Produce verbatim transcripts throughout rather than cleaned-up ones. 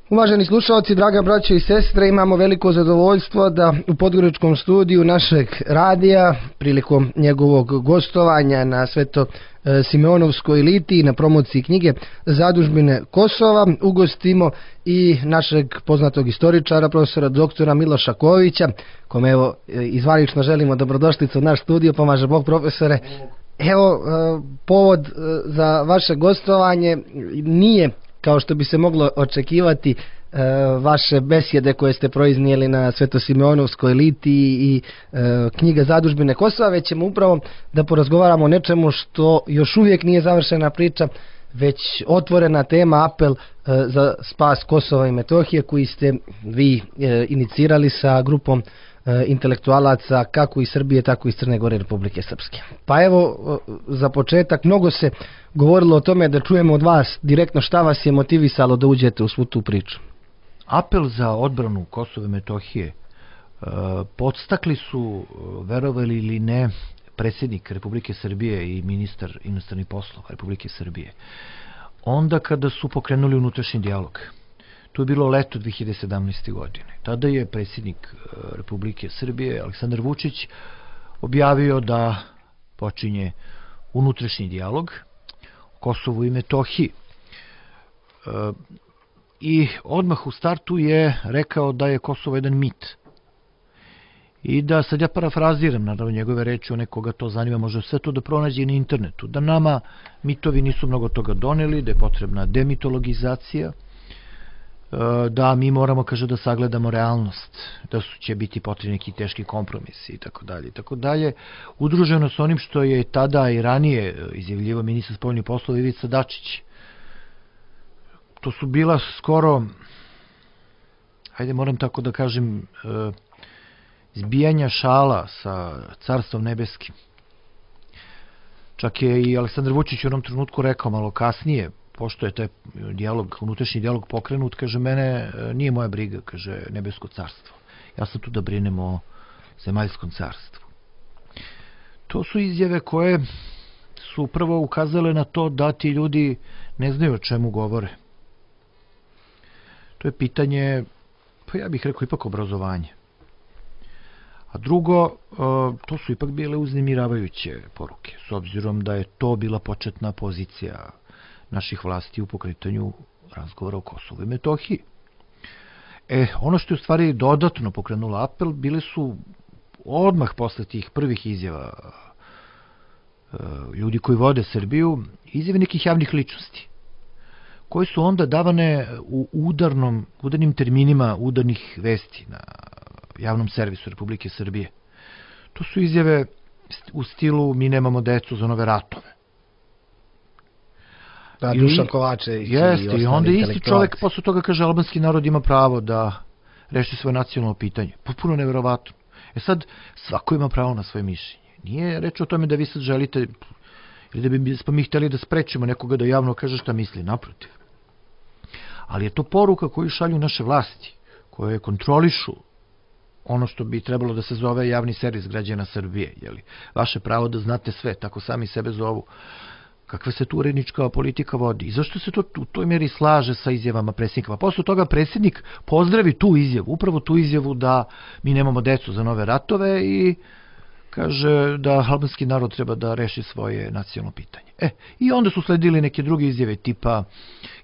Uvaženi slušalci, draga braćo i sestre, imamo veliko zadovoljstvo da u Podgoričkom studiju našeg radija, prilikom njegovog gostovanja na Sveto Simeonovskoj litiji na promociji knjige Zadužbine Kosova, ugostimo i našeg poznatog istoričara, profesora doktora Miloša Kovića, kome evo izvanično želimo dobrodošlicu u naš studio. Pomaže Bog, profesore. Evo, povod za vaše gostovanje nije, kao što bi se moglo očekivati, vaše besjede koje ste proiznijeli na Svetosimeonovskoj litiji i knjiga Zadužbine Kosova, već ćemo upravo da porazgovaramo o nečemu što još uvijek nije završena priča, već otvorena tema, apel za spas Kosova i Metohije, koji ste vi inicirali sa grupom intelektualaca kako iz Srbije, tako i iz Crne Gore i Republike Srpske. Pa evo, za početak, mnogo se govorilo o tome, da čujemo od vas direktno šta vas je motivisalo da uđete u svu tu priču. Apel za odbranu Kosova i Metohije podstakli su, verovali ili ne, predsjednik Republike Srbije i ministar inostranih poslova Republike Srbije. Onda kada su pokrenuli unutrašnji dijalog, to je bilo leto dve hiljade sedamnaeste. godine. Tada je predsjednik Republike Srbije, Aleksandar Vučić, objavio da počinje unutrašnji dijalog o Kosovu i Metohiji. I odmah u startu je rekao da je Kosovo jedan mit. I da, sad ja parafraziram, naravno njegove reči, one koga to zanima može sve to da pronađe na internetu, da nama mitovi nisu mnogo toga doneli, da je potrebna demitologizacija, da mi moramo, kaže, da sagledamo realnost, da su će biti potrebni neki teški kompromisi i tako dalje i tako dalje, udruženo s onim što je tada i ranije izjavljivao ministar spoljnih poslova Ivica Dačić. To su bila skoro, hajde moram tako da kažem, zbijanja šala sa Carstvom nebeskim. Čak je i Aleksandar Vučić u jednom trenutku rekao malo kasnije, pošto je taj dijalog, unutrašnji dijalog pokrenut, kaže, mene nije moja briga, kaže, nebesko carstvo. Ja sam tu da brinem o zemaljskom carstvu. To su izjave koje su prvo ukazale na to da ti ljudi ne znaju o čemu govore. To je pitanje, pa ja bih rekao, ipak obrazovanje. A drugo, to su ipak bile uznemiravajuće poruke, s obzirom da je to bila početna pozicija naših vlasti u pokretanju razgovora o Kosovu i Metohiji. E, ono što je u stvari dodatno pokrenulo apel, bile su odmah posle tih prvih izjava ljudi koji vode Srbiju, izjave nekih javnih ličnosti, koje su onda davane u udarnom, udarnim terminima udarnih vesti na javnom servisu Republike Srbije. To su izjave u stilu mi nemamo decu za nove ratove. Da, Dušan Kovačević i ostali i onda isti čovjek posle toga kaže albanski narod ima pravo da reši svoje nacionalno pitanje. Potpuno neverovatno. E sad, svako ima pravo na svoje mišljenje. Nije reč o tome da vi sad želite, ili da bi smo mi htjeli da sprečimo nekoga da javno kaže šta misli, naprotiv. Ali je to poruka koju šalju naše vlasti, koje kontrolišu ono što bi trebalo da se zove javni servis građana Srbije. Jeli? Vaše pravo da znate sve, tako sami sebe zovu. Kakva se tu urednička politika vodi i zašto se to u toj mjeri slaže sa izjavama predsjednika. Posle toga predsjednik pozdravi tu izjavu, upravo tu izjavu da mi nemamo decu za nove ratove i kaže da albanski narod treba da reši svoje nacionalno pitanje. E, i onda su sledili neke druge izjave tipa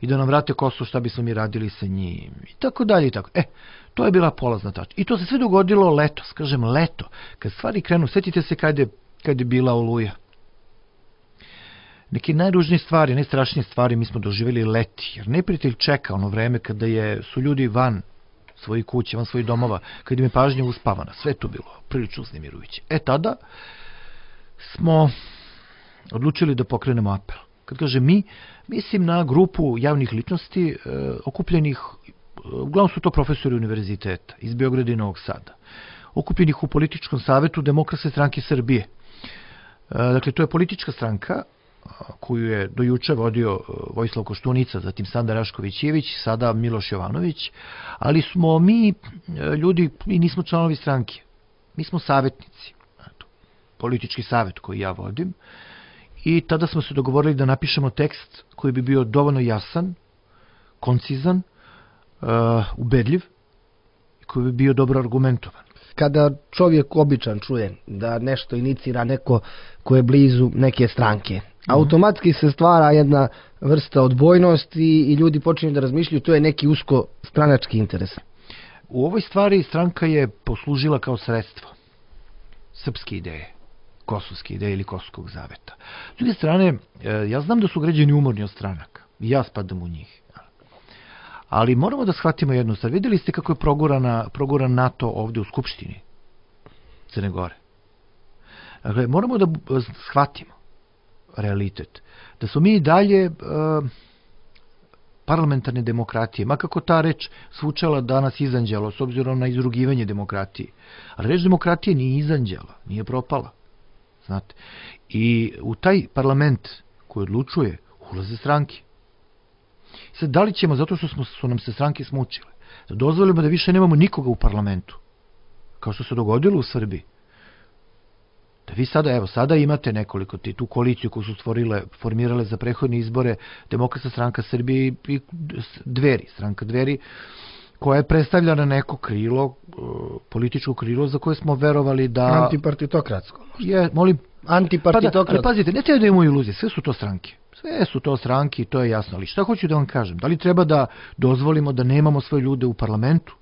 i da nam vrate Kosovo, šta bismo mi radili sa njim i tako dalje i tako. E, to je bila polazna tačka. I to se sve dogodilo letos, kažem leto, kad stvari krenu, sjetite se kad je, kad je bila Oluja. Neke najružnije stvari, najstrašnije stvari mi smo doživjeli leti, jer neprijatelj čeka ono vreme kada je, su ljudi van svojih kuća, van svojih domova, kada im je pažnja uspavana, sve to bilo prilično uznemirujuće. E tada smo odlučili da pokrenemo apel. Kad kaže mi, mislim na grupu javnih ličnosti e, okupljenih, uglavnom su to profesori univerziteta iz Beograda i Novog Sada, okupljenih u političkom savetu Demokratske stranke Srbije. E, dakle, to je politička stranka koju je dojuče vodio Vojislav Koštunica, zatim Sanda Rašković-Ivić, sada Miloš Jovanović, ali smo mi ljudi, mi nismo članovi stranke, mi smo savjetnici, politički savjet koji ja vodim, i tada smo se dogovorili da napišemo tekst koji bi bio dovoljno jasan, koncizan, uh, ubedljiv i koji bi bio dobro argumentovan. Kada čovjek običan čuje da nešto inicira neko ko je blizu neke stranke, automatski se stvara jedna vrsta odbojnosti i ljudi počinju da razmišljaju to je neki usko stranački interes. U ovoj stvari stranka je poslužila kao sredstvo srpske ideje, kosovske ideje ili kosovskog zaveta. S druge strane, ja znam da su građani umorni od stranaka i ja spadam u njih. Ali moramo da shvatimo jednu stvar. Vidjeli ste kako je progurana, proguran NATO ovdje u Skupštini Crne Gore. Dakle, moramo da shvatimo realitet. Da su mi i dalje uh, parlamentarne demokratije, makako ta reč zvučala danas izanđelo, s obzirom na izrugivanje demokratije. Ali reč demokratije nije izanđela, nije propala. Znate. I u taj parlament koji odlučuje ulaze stranke. Sad, da li ćemo, zato što smo, su nam se stranke smučile, da dozvolimo da više nemamo nikoga u parlamentu, kao što se dogodilo u Srbiji, da vi sada, evo, sada imate nekoliko, tu koaliciju koju su stvorile, formirale za prethodne izbore Demokratska stranka Srbije i Dveri, stranka Dveri, koja je predstavljana neko krilo, političko krilo za koje smo verovali da... Antipartitokratsko. Je, molim... Antipartitokratsko. Pa da, ali pazite, ne treba da imamo iluzije, sve su to stranke. Sve su to stranke i to je jasno. Ali šta hoću da vam kažem? Da li treba da dozvolimo da nemamo svoje ljude u parlamentu?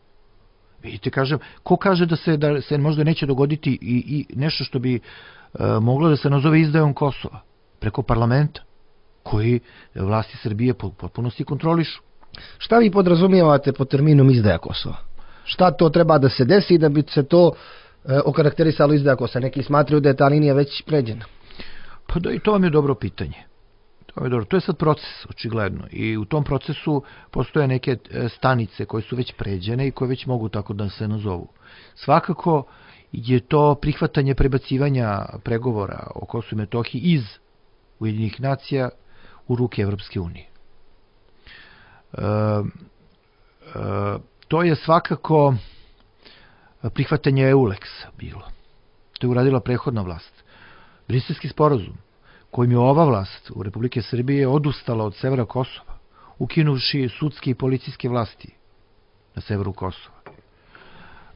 Vidite, kažem, ko kaže da se, da se možda neće dogoditi i, i nešto što bi e, moglo da se nazove izdajom Kosova preko parlamenta, koji vlasti Srbije po potpunosti kontrolišu? Šta vi podrazumijevate pod terminom izdaja Kosova? Šta to treba da se desi da bi se to e, okarakterisalo izdaja Kosova? Neki smatraju da je ta linija već pređena. Pa da, i to vam je dobro pitanje. To je, dobro. To je sad proces, očigledno. I u tom procesu postoje neke stanice koje su već pređene i koje već mogu tako da se nazovu. Svakako je to prihvatanje prebacivanja pregovora o Kosovu i Metohiji iz Ujedinjenih nacija u ruke Evropske unije. E, e, to je svakako prihvatanje EULEX-a bilo. To je uradila prethodna vlast. Briselski sporazum, kojim je ova vlast u Republike Srbije odustala od severa Kosova, ukinuši sudske i policijske vlasti na severu Kosova.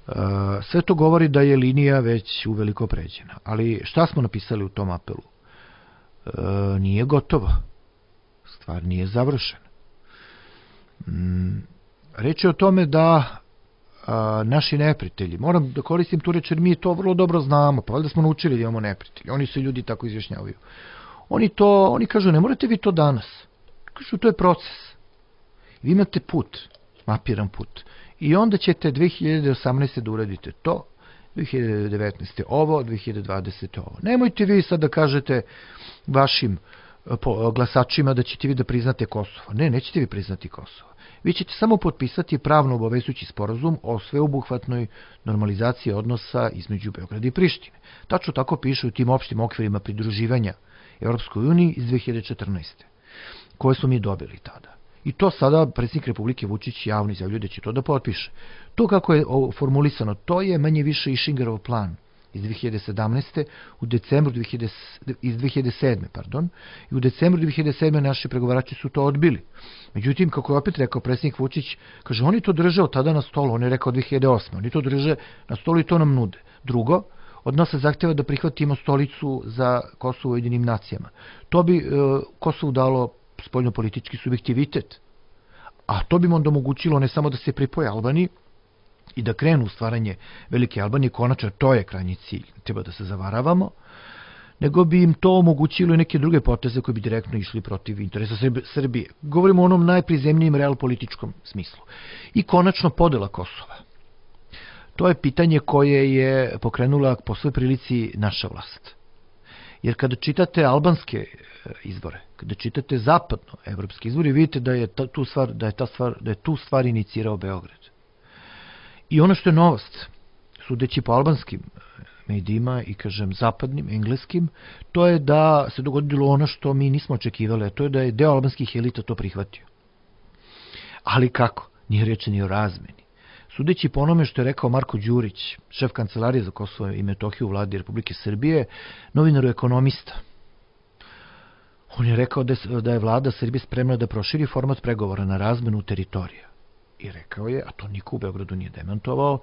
E, sve to govori da je linija već uveliko pređena. Ali šta smo napisali u tom apelu? E, nije gotovo. Stvar nije završena. Mm, reč je o tome da a, naši neprijatelji, moram da koristim tu reč jer mi to vrlo dobro znamo, pa valjda smo naučili da imamo neprijatelji, oni se ljudi tako izjašnjavaju. Oni to, oni kažu, ne morate vi to danas. Kažu, to je proces. Vi imate put, mapiran put. I onda ćete dve hiljade osamnaeste. da uradite to, dve hiljade devetnaeste. ovo, dve hiljade dvadesete. ovo. Nemojte vi sad da kažete vašim glasačima da ćete vi da priznate Kosovo. Ne, nećete vi priznati Kosovo. Vi ćete samo potpisati pravno obavezujući sporazum o sveobuhvatnoj normalizaciji odnosa između Beograda i Prištine. Tačno tako piše u tim opštim okvirima pridruživanja Evropskoj uniji iz dve hiljade četrnaeste. koje smo mi dobili tada. I to sada predsjednik Republike Vučić javno izjavljuje da će to da potpiše. To kako je formulisano, to je manje više Išingerov plan iz dve hiljade sedamnaeste. u decembru dve hiljade, iz dve hiljade sedme. Pardon, i u decembru dve hiljade sedme. naši pregovarači su to odbili. Međutim, kako je opet rekao predsjednik Vučić, kaže, oni to drže od tada na stolu, on je rekao dve hiljade osme. Oni to drže na stolu i to nam nude. Drugo, od nas se zahtjeva da prihvatimo stolicu za Kosovo u Ujedinim nacijama. To bi e, Kosovu dalo spoljnopolitički subjektivitet, a to bi onda omogućilo ne samo da se pripoje Albaniji i da krenu u stvaranje Velike Albanije, konačno to je krajnji cilj, treba da se zavaravamo, nego bi im to omogućilo i neke druge poteze koje bi direktno išli protiv interesa Srbije. Govorimo o onom najprizemnijem realpolitičkom smislu. I konačno podela Kosova. To je pitanje koje je pokrenula po svoj prilici naša vlast. Jer kada čitate albanske izbore, kada čitate zapadno evropske izbore, vidite da je ta, tu stvar, da je ta stvar, da je tu stvar inicirao Beograd. I ono što je novost, sudeći po albanskim medijima i kažem zapadnim, engleskim, to je da se dogodilo ono što mi nismo očekivali, a to je da je deo albanskih elita to prihvatio. Ali kako? Nije reč ni o razmeni. Sudeći po onome što je rekao Marko Đurić, šef kancelarije za Kosovo i Metohiju u vladi Republike Srbije, novinaru ekonomista, on je rekao da je vlada Srbije spremna da proširi format pregovora na razmenu teritorija. i rekao je, a to niko u Beogradu nije demantovao,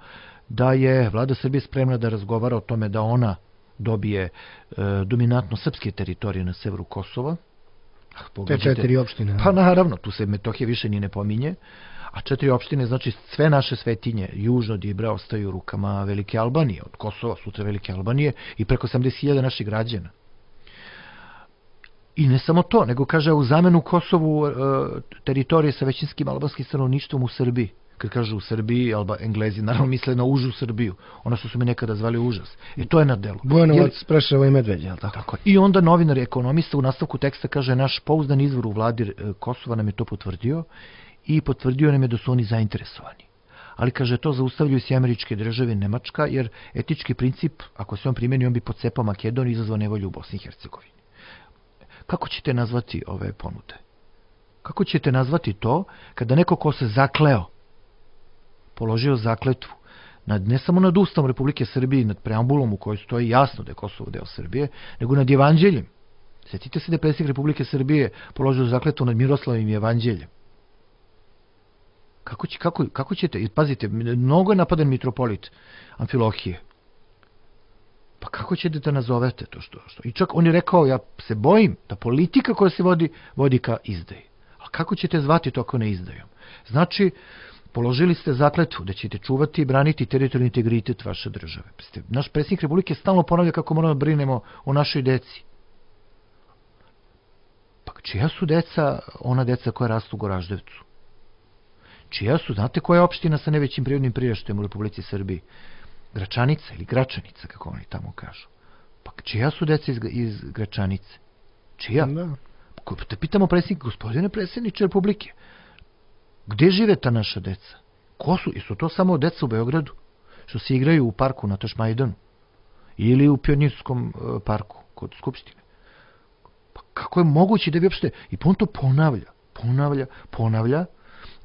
da je vlada Srbije spremna da razgovara o tome da ona dobije e, dominantno srpske teritorije na severu Kosova. Te četiri opštine. Pa naravno, tu se Metohija više ni ne pominje, a četiri opštine, znači sve naše svetinje, južno od Ibra, ostaju u rukama Velike Albanije, od Kosova, sutra Velike Albanije i preko osamdeset hiljada naših građana. I ne samo to, nego kaže u zamenu Kosovu e, teritorije sa većinskim albanskim stanovništvom u Srbiji. Kad kažu u Srbiji, Alba, Englezi naravno misle na užu Srbiju, ono što su mi nekada zvali užas. I to je na delu. Bujanovac, Preševo i Medveđa, je li tako? Tako. I onda novinar i ekonomista u nastavku teksta kaže, naš pouzdan izvor u vladi Kosova nam je to potvrdio i potvrdio nam je da su oni zainteresovani. Ali kaže, to zaustavljaju se američke države i Nemačka, jer etički princip, ako se on primjeni, on bi pocepao Makedoniju i izazvao nevolju u Bosni i Hercegovini. Kako ćete nazvati ove ponude? Kako ćete nazvati to kada neko ko se zakleo, položio zakletvu nad, ne samo nad Ustavom Republike Srbije, nad preambulom u kojoj stoji jasno da je Kosovo deo Srbije, nego nad Evanđeljem. Sjetite se da je predsjednik Republike Srbije položio zakletvu nad Miroslavim Evanđeljem. Kako, će, kako, kako ćete, i pazite, mnogo je napadan mitropolit Amfilohije. Pa kako ćete da nazovete to što, što? I čak on je rekao, ja se bojim da politika koja se vodi, vodi ka izdaji. Ali kako ćete zvati to ako ne izdajom? Znači, položili ste zakletvu da ćete čuvati i braniti teritorijalni integritet vaše države. Naš predsjednik Republike stalno ponavlja kako moramo da brinemo o našoj deci. Pa čija su deca, ona deca koja rastu u Goraždevcu? Čija su, znate koja je opština sa najvećim prirodnim priraštajem u Republici Srbiji? Gračanica ili Gračanica, kako oni tamo kažu. Pa čija su deca iz, iz Gračanice? Čija? Da. Te pitamo predsjednik, gospodine predsjedniče Republike, gde žive ta naša deca? Ko su? I su to samo deca u Beogradu? Što se igraju u parku na Tašmajdanu? Ili u Pionirskom uh, parku kod Skupštine? Pa kako je moguće da bi uopšte... I on to ponavlja, ponavlja, ponavlja,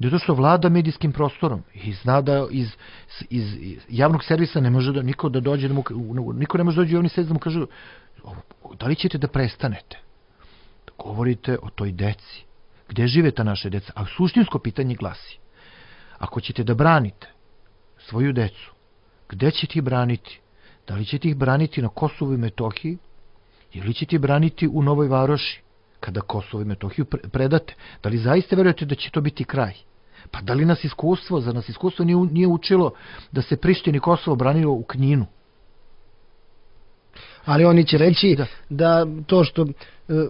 zato što vlada medijskim prostorom i zna da iz, iz, iz javnog servisa ne može da niko da dođe, da mu, niko ne može dođe u javni servis da mu kaže da li ćete da prestanete da govorite o toj deci. Gde žive ta naše deca? A suštinsko pitanje glasi, ako ćete da branite svoju decu, gde ćete ih braniti? Da li ćete ih braniti na Kosovu i Metohiji ili ćete ih braniti u Novoj Varoši kada Kosovo i Metohiju predate? Da li zaista verujete da će to biti kraj? Pa da li nas iskustvo, za nas iskustvo nije, nije učilo da se Prištini i Kosovo branilo u Knjinu? Ali oni će reći da, da to što uh,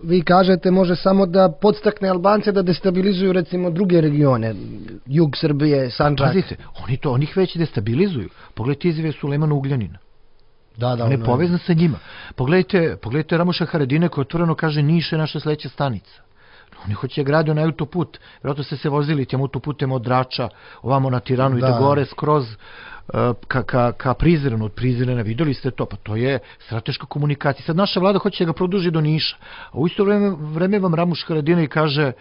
vi kažete može samo da podstakne Albance da destabilizuju recimo druge regione, jug Srbije, Sandžak. Pazite, oni to, oni ih već destabilizuju. Pogledajte izjave Sulejmana Ugljanina. Da, da, on je povezan sa njima. Pogledajte, pogledajte Ramuša Haradine koji otvoreno kaže Niš je naša sledeća stanica. Oni hoće gradio na autoput. Vjerojatno ste se vozili tim autoputem od Drača ovamo na Tiranu i da gore skroz uh, ka, ka, ka Prizrenu. Od Prizrena videli ste to. Pa to je strateška komunikacija. Sad naša vlada hoće da ga produži do Niša. A u isto vreme, vreme vam Ramuš Haradine kaže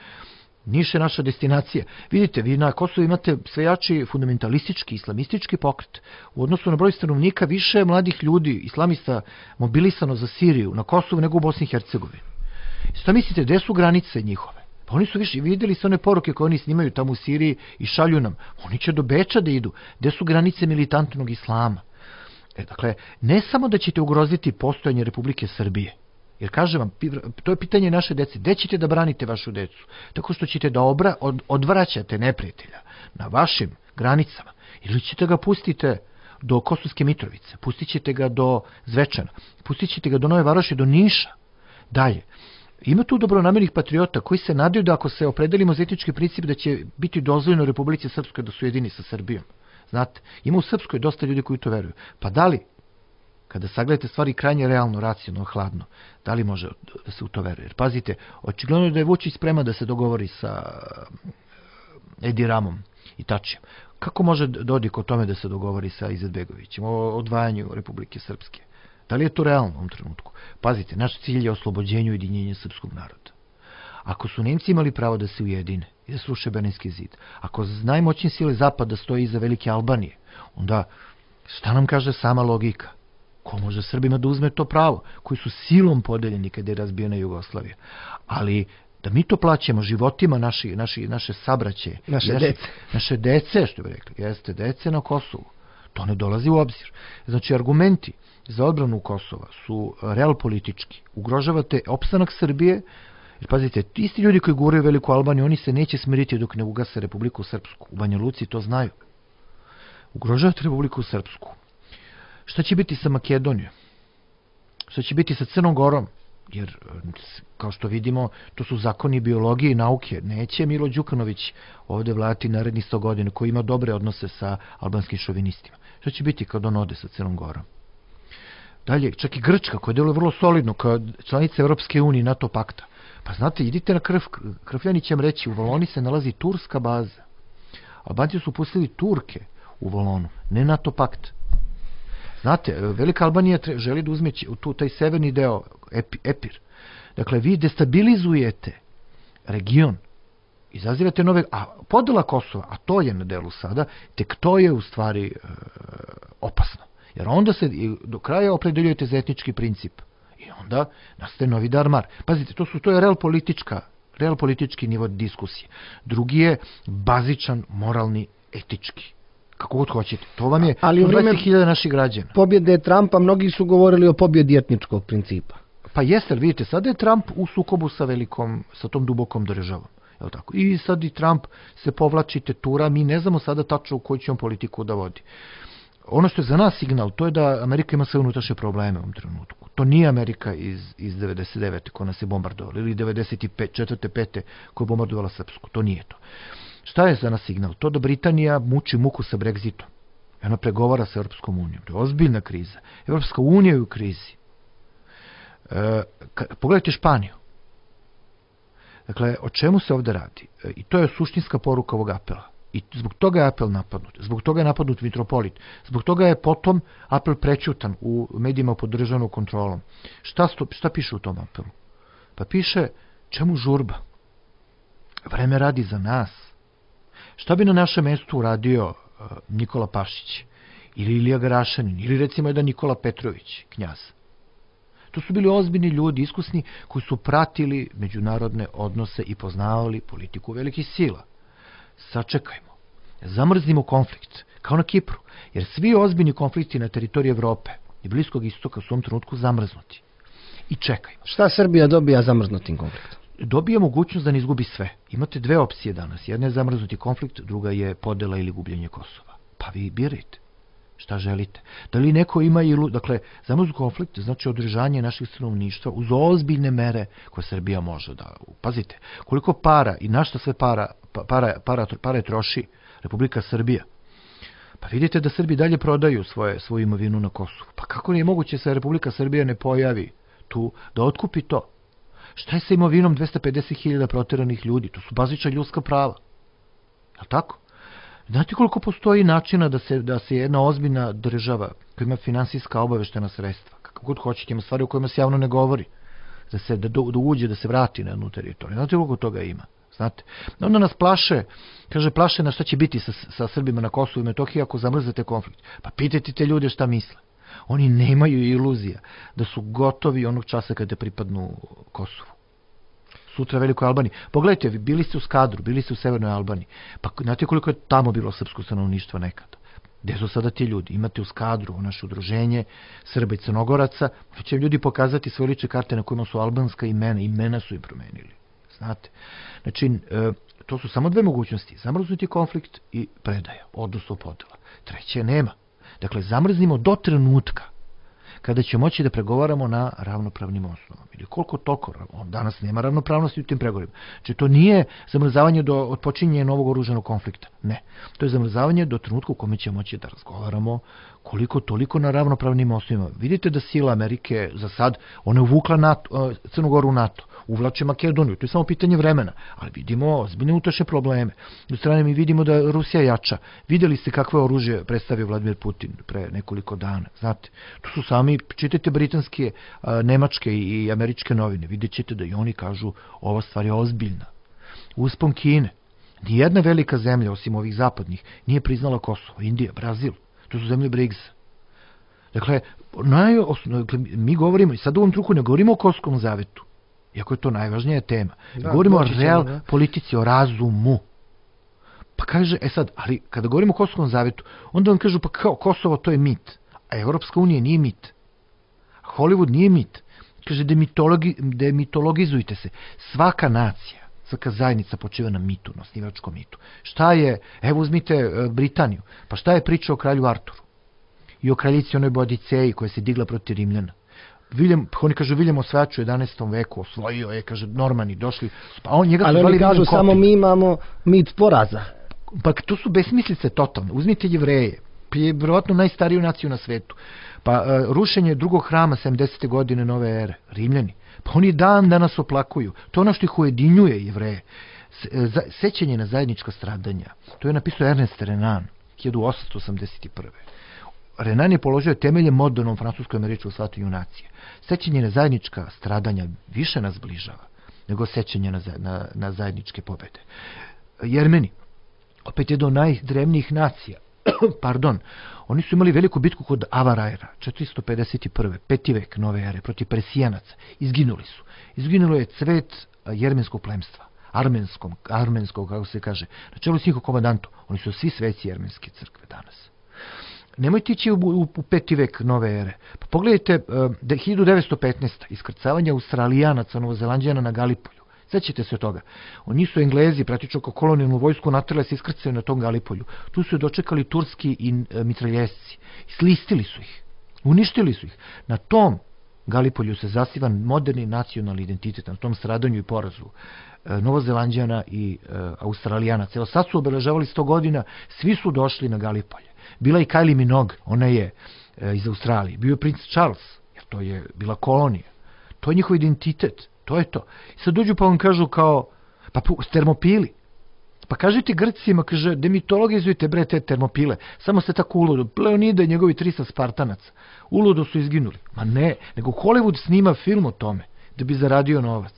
Niš je naša destinacija. Vidite, vi na Kosovu imate sve jači fundamentalistički, islamistički pokret. U odnosu na broj stanovnika više mladih ljudi, islamista, mobilisano za Siriju na Kosovu nego u Bosni i Hercegovini. Šta mislite, gde su granice njihove? Pa oni su više, vidjeli su one poruke koje oni snimaju tamo u Siriji i šalju nam. Oni će do Beča da idu. Gde su granice militantnog islama? E, dakle, ne samo da ćete ugroziti postojanje Republike Srbije, jer kažem vam, to je pitanje naše dece. Gde ćete da branite vašu decu? Tako što ćete da obra, od, odvraćate neprijatelja na vašim granicama. Ili ćete ga pustite do Kosovske Mitrovice, pustit ćete ga do Zvečana, pustit ćete ga do Nove Varoši, do Niša. Dalje. Ima tu dobronamernih patriota koji se nadaju da ako se opredelimo za etički princip da će biti dozvoljeno Republici Srpskoj da su jedini sa Srbijom. Znate, ima u Srpskoj dosta ljudi koji to veruju. Pa da li, kada sagledate stvari krajnje realno, racionalno, hladno, da li može da se u to veruje? Jer pazite, očigledno je da je Vučić spreman da se dogovori sa Edi Ramom i Tačijem. Kako može Dodik o tome da se dogovori sa Izetbegovićem o odvajanju Republike Srpske? Da li je to realno u ovom trenutku? Pazite, naš cilj je oslobođenje i ujedinjenje srpskog naroda. Ako su Nemci imali pravo da se ujedine i da sruše Berlinski zid, ako najmoćnije sile Zapada stoji iza Velike Albanije, onda šta nam kaže sama logika? Ko može Srbima da uzme to pravo? Koji su silom podeljeni kada je razbijena Jugoslavija. Ali da mi to plaćamo životima naši, naši, naše sabraće, naše naše dece. Naše dece, što bi rekli, jeste dece na Kosovu. To ne dolazi u obzir. Znači, argumenti za odbranu Kosova su realpolitički. Ugrožavate opstanak Srbije, jer pazite, isti ljudi koji guraju Veliku Albaniju, oni se neće smiriti dok ne ugase Republiku Srpsku. U Banja Luci to znaju. Ugrožavate Republiku Srpsku. Šta će biti sa Makedonijom? Šta će biti sa Crnom Gorom? Jer, kao što vidimo, to su zakoni biologije i nauke. Neće Milo Đukanović ovde vladati narednih sto godina, koji ima dobre odnose sa albanskim šovinistima. Šta će biti kad on ode sa Crnom Gorom? Dalje, čak i Grčka, koja deluje vrlo solidno, kao članica Evropske unije i NATO pakta. Pa znate, idite na krv, Krfljani će vam reći, u Valoni se nalazi turska baza. Albanci su pustili Turke u Valonu, ne NATO pakt. Znate, Velika Albanija želi da uzme tu, taj severni deo, Epir. Dakle, vi destabilizujete region, izazivate nove... A podela Kosova, a to je na delu sada, tek to je u stvari e, opasno. Jer onda se do kraja opredeljujete za etnički princip. I onda nastaje novi darmar. Pazite, to, su, to je real politička, real politički nivo diskusije. Drugi je bazičan, moralni, etički. Kako god hoćete. To vam je ali u vreme dvadeset hiljada naših građana. Pobjede Trumpa, mnogi su govorili o pobjedi etničkog principa. Pa jeste, ali vidite, sada je Trump u sukobu sa velikom, sa tom dubokom državom. Jel tako? I sad i Trump se povlači, tetura, mi ne znamo sada tačno u koju će on politiku da vodi. Ono što je za nas signal, to je da Amerika ima sve unutrašnje probleme u ovom trenutku. To nije Amerika iz, iz devedeset devete koja nas je bombardovala, ili devedeset četvrte pete koja je bombardovala Srpsku. To nije to. Šta je za nas signal? To da Britanija muči muku sa Brexitom. Ona pregovara sa Europskom unijom. To je ozbiljna kriza. Europska unija je u krizi. E, ka, pogledajte Španiju. Dakle, o čemu se ovde radi? E, I to je suštinska poruka ovog apela. I zbog toga je apel napadnut. Zbog toga je napadnut mitropolit. Zbog toga je potom apel prećutan u medijima pod državnom kontrolom. Šta, sto, šta piše u tom apelu? Pa piše, čemu žurba? Vreme radi za nas. Šta bi na našem mestu uradio uh, Nikola Pašić? Ili Ilija Garašanin? Ili recimo jedan Nikola Petrović, knjaz? To su bili ozbiljni ljudi, iskusni, koji su pratili međunarodne odnose i poznavali politiku velikih sila. Sačekajmo. Zamrznimo konflikt, kao na Kipru, jer svi ozbiljni konflikti na teritoriji Evrope i Bliskog istoka su u ovom trenutku zamrznuti. I čekajmo. Šta Srbija dobija zamrznutim konfliktom? Dobija mogućnost da ne izgubi sve. Imate dve opcije danas. Jedna je zamrznuti konflikt, druga je podela ili gubljenje Kosova. Pa vi birajte. Šta želite? Da li neko ima ilu... Dakle, zamrznuti konflikt znači održanje naših stanovništva uz ozbiljne mere koje Srbija može da... Pazite, koliko para i na šta sve para, para, para, para troši Republika Srbija. Pa vidite da Srbi dalje prodaju svoje, svoju imovinu na Kosovu. Pa kako je moguće se Republika Srbija ne pojavi tu da otkupi to? Šta je sa imovinom dvesta pedeset hiljada proteranih ljudi? To su bazična ljudska prava. Je li tako? Znate koliko postoji načina da se, da se jedna ozbiljna država koja ima finansijska obaveštena sredstva, kako god hoćete, ima stvari o kojima se javno ne govori, da se da, da uđe, da se vrati na jednu teritoriju. Znate koliko toga ima? Znate? Onda nas plaše, kaže, plaše na šta će biti sa, sa Srbima na Kosovu i Metohiji ako zamrzete konflikt. Pa pitajte te ljude šta misle. Oni nemaju iluzija da su gotovi onog časa kada pripadnu Kosovu. Sutra Velikoj Albaniji. Pogledajte, bili ste u Skadru, bili ste u Severnoj Albaniji. Pa znate koliko je tamo bilo srpsko stanovništvo nekada? Gde su sada ti ljudi? Imate u Skadru, naše udruženje Srba i Crnogoraca, će ljudi pokazati svoje lične karte na kojima su albanska imena. Imena su im promenili. Znate? Znači, to su samo dve mogućnosti. Zamrznuti konflikt i predaja, odnosno podela. Treće nema. Dakle, zamrznimo do trenutka kada će moći da pregovaramo na ravnopravnim osnovama. Ili koliko toliko, danas nema ravnopravnosti u tim pregovorima. Znači, to nije zamrzavanje do otpočinjenja novog oružanog konflikta. Ne. To je zamrzavanje do trenutka u kome će moći da razgovaramo koliko toliko na ravnopravnim osnovima. Vidite da sila Amerike za sad, ona je uvukla NATO, Crnu Goru u NATO, uvlače Makedoniju, to je samo pitanje vremena, ali vidimo ozbiljne unutrašnje probleme. U strane mi vidimo da Rusija jača. Videli ste kakve oružje predstavio Vladimir Putin pre nekoliko dana, znate. To su sami, čitajte britanske, nemačke i američke novine, vidjet ćete da i oni kažu ova stvar je ozbiljna. Uspon Kine, nijedna velika zemlja, osim ovih zapadnih, nije priznala Kosovo, Indija, Brazil, to su zemlje brigsa. Dakle, najosno, dakle, mi govorimo, i sad u ovom truku ne govorimo o Kosovskom zavetu, iako je to najvažnija tema. Da, govorimo o ćemo, real da. politici, o razumu. Pa kaže, e sad, ali kada govorimo o Kosovskom zavetu, onda vam kažu, pa kao, Kosovo to je mit, a Evropska unija nije mit. Hollywood nije mit. Kaže, demitologi, demitologizujte se. Svaka nacija, svaka zajednica počiva na mitu, na osnivačkom mitu. Šta je, evo uzmite e, Britaniju, pa šta je priča o kralju Arturu? I o kraljici onoj Boadiceji koja se digla protiv Rimljana. William, oni kažu, William osvajač u jedanaestom veku osvojio je, kaže, Normani došli, pa on njega su ali zvali oni kažu, William samo Copy. mi imamo mit poraza. Pa to su besmislice totalne. Uzmite Jevreje, je vjerovatno najstariju naciju na svetu. Pa uh, rušenje drugog hrama sedamdesete godine nove ere, Rimljani. Pa oni dan danas oplakuju. To je ono što ih ujedinjuje Jevreje. Za, sećanje na zajednička stradanja. To je napisao Ernest Renan, hiljadu osamsto osamdeset prve. Renan je položio temelje modernom francuskom rečju shvatanju nacije. Sećanje na zajednička stradanja više nas bližava nego sećanje na, na, na zajedničke pobede. Jermeni, opet jedno od najdrevnijih nacija, pardon, oni su imali veliku bitku kod Avarajra, četiristo pedeset prve. peti vek nove ere, protiv Persijanaca. Izginuli su. Izginulo je cvet jermenskog plemstva, armenskom, armenskog, kako se kaže, na čelu s njihov komandantu. Oni su svi sveci jermenske crkve danas. Nemojte ići u, u, u peti vek nove ere. Pa pogledajte uh, hiljadu devetsto petnaeste. iskrcavanje Australijanaca, Novozelanđana na Galipolju. Sećate se toga. Oni su Englezi, praktično kao kolonijalnu vojsku, natrle se iskrcaju na tom Galipolju. Tu su je dočekali turski i e, mitraljesci. Slistili su ih. Uništili su ih. Na tom Galipolju se zasiva moderni nacionalni identitet, na tom stradanju i porazu e, Novozelanđana i e, Australijanaca. Evo sad su obeležavali sto godina, svi su došli na Galipolje. Bila i Kylie Minogue, ona je e, iz Australije. Bio je princ Charles, jer to je bila kolonija. To je njihov identitet. To je to. I sad dođu pa vam kažu kao, pa termopili. Pa kažite Grcima, kaže, demitologizujte bre te termopile. Samo ste tako uludo. Leonida i njegovi trista Spartanaca. Uludo su izginuli. Ma ne, nego Hollywood snima film o tome, da bi zaradio novac.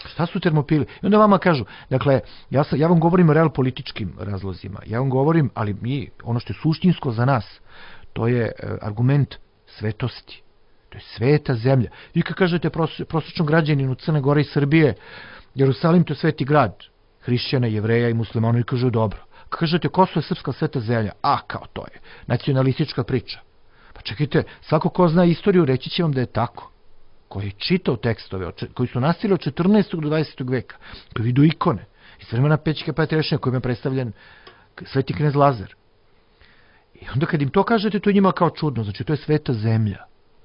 Šta su termopili? I onda vama kažu, dakle, ja, sam, ja vam govorim o real političkim razlozima. Ja vam govorim, ali mi, ono što je suštinsko za nas, to je e, argument svetosti. To je sveta zemlja. Vi kad kažete pros, prosječnom građaninu Crne Gore i Srbije, Jerusalim to je sveti grad, hrišćana, jevreja i muslimana, i kažu dobro. Kad kažete Kosovo je srpska sveta zemlja, a kao to je nacionalistička priča. Pa čekajte, svako ko zna istoriju reći će vam da je tako. Koji je čitao tekstove, koji su nastali od četrnaestog do dvadesetog veka, koji vidu ikone, iz vremena Pećke Patrijaršije kojima je predstavljen sveti knez Lazar. I onda kad im to kažete, to je njima kao čudno, znači to je sveta zemlja.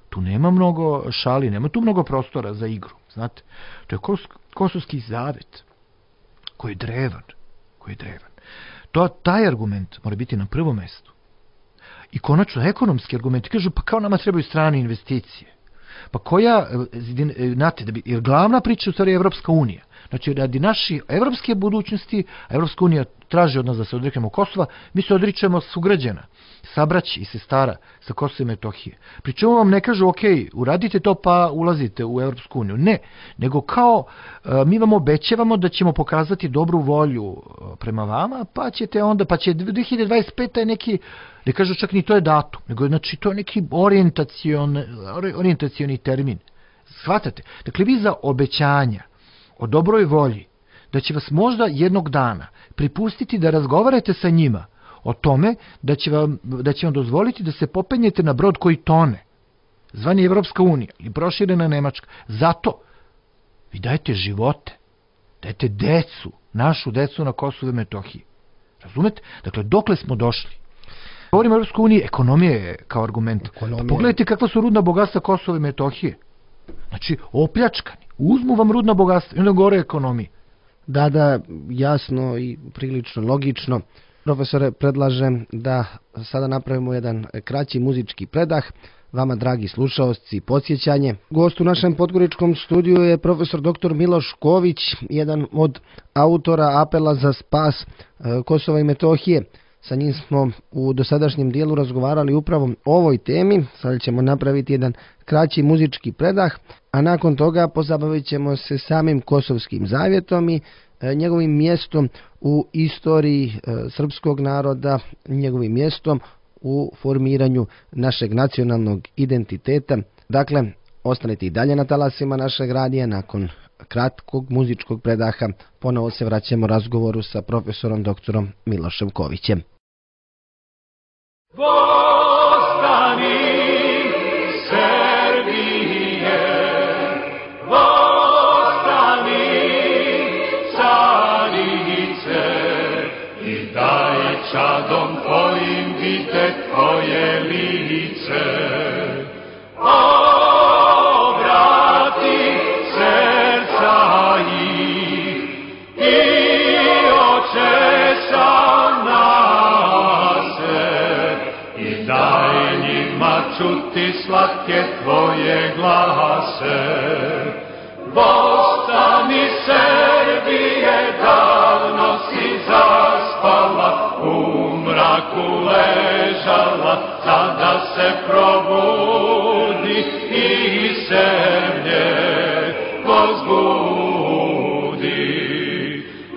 Tu nema mnogo šali, nema tu mnogo prostora za igru, znate. To je kos, Kosovski zavet, koji je drevan, koji je drevan. To, taj argument mora biti na prvom mestu. I konačno, ekonomski argument, kažu, pa kao nama trebaju strane investicije. Pa koja, znate, da bi, jer glavna priča u stvari je Evropska unija. Znači, radi naše evropske budućnosti, a Evropska unija traži od nas da se odreknemo Kosova, mi se odričemo sugrađana, sabraći i sestara sa Kosova i Metohije. Pričemu vam ne kažu, ok, uradite to pa ulazite u Evropsku uniju. Ne, nego kao mi vam obećavamo da ćemo pokazati dobru volju prema vama, pa ćete onda, pa će dve hiljade dvadeset peta je neki, ne kažu čak ni to je datum, nego znači to je neki orijentacion, orijentacioni termin. Shvatate? Dakle, vi za obećanja o dobroj volji, da će vas možda jednog dana pripustiti da razgovarate sa njima o tome da će vam, da će vam dozvoliti da se popenjete na brod koji tone, zvani Evropska unija ili proširena Nemačka. Zato vi dajete živote, dajete decu, našu decu na Kosovu i Metohiji. Razumete? Dakle, dokle smo došli? Govorimo o Evropskoj uniji, ekonomija je kao argument. Pa pogledajte kakva su rudna bogatstva Kosova i Metohije. Znači, opljačkani. Uzmu vam rudna bogatstva i onda govore o ekonomiji. Da, da, jasno i prilično logično. Profesore, predlažem da sada napravimo jedan kraći muzički predah. Vama, dragi slušaoci, podsjećanje. Gost u našem podgoričkom studiju je profesor doktor Miloš Ković, jedan od autora apela za spas Kosova i Metohije. Sa njim smo u dosadašnjem dijelu razgovarali upravo o ovoj temi. Sada ćemo napraviti jedan kraći muzički predah, a nakon toga pozabavit ćemo se samim Kosovskim zavjetom i njegovim mjestom u istoriji srpskog naroda, njegovim mjestom u formiranju našeg nacionalnog identiteta. Dakle, Ostanite i dalje na talasima našeg radija. Nakon kratkog muzičkog predaha ponovo se vraćamo razgovoru sa profesorom doktorom Milošem Kovićem. Vostani Srbije, vostani carice i daj čadom tvojim vidjet tvoje lice. Obrati srca ih i očesam nase i daj njima čuti slatke tvoje glase. Vostani Srbije, davno si zaspala, u mraku ležala, sada se probudi i zemlje возбуди.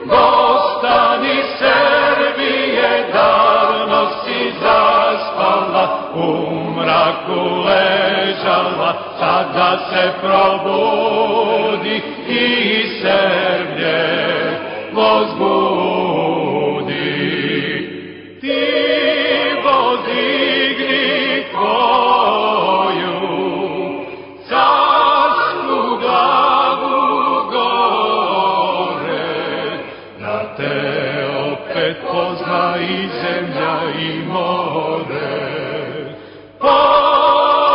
Vostani Srbije, davno si zaspala, u mraku ležala, sada se probudi i zemlje возбуди. Ti podigni tvoju carsku glavu gore, da te opet pozna i zemlja i more. Pokaži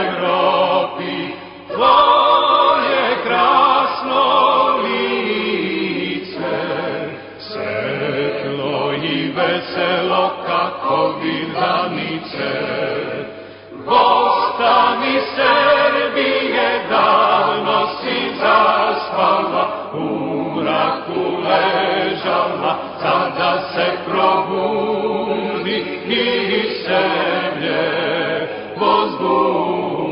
Evropi tvoje krasno lice, svetlo i veselo kako vidanice. Vostani Srbije, davno si zaspala, u mraku ležala, sada se probudi i zemlje возбуди.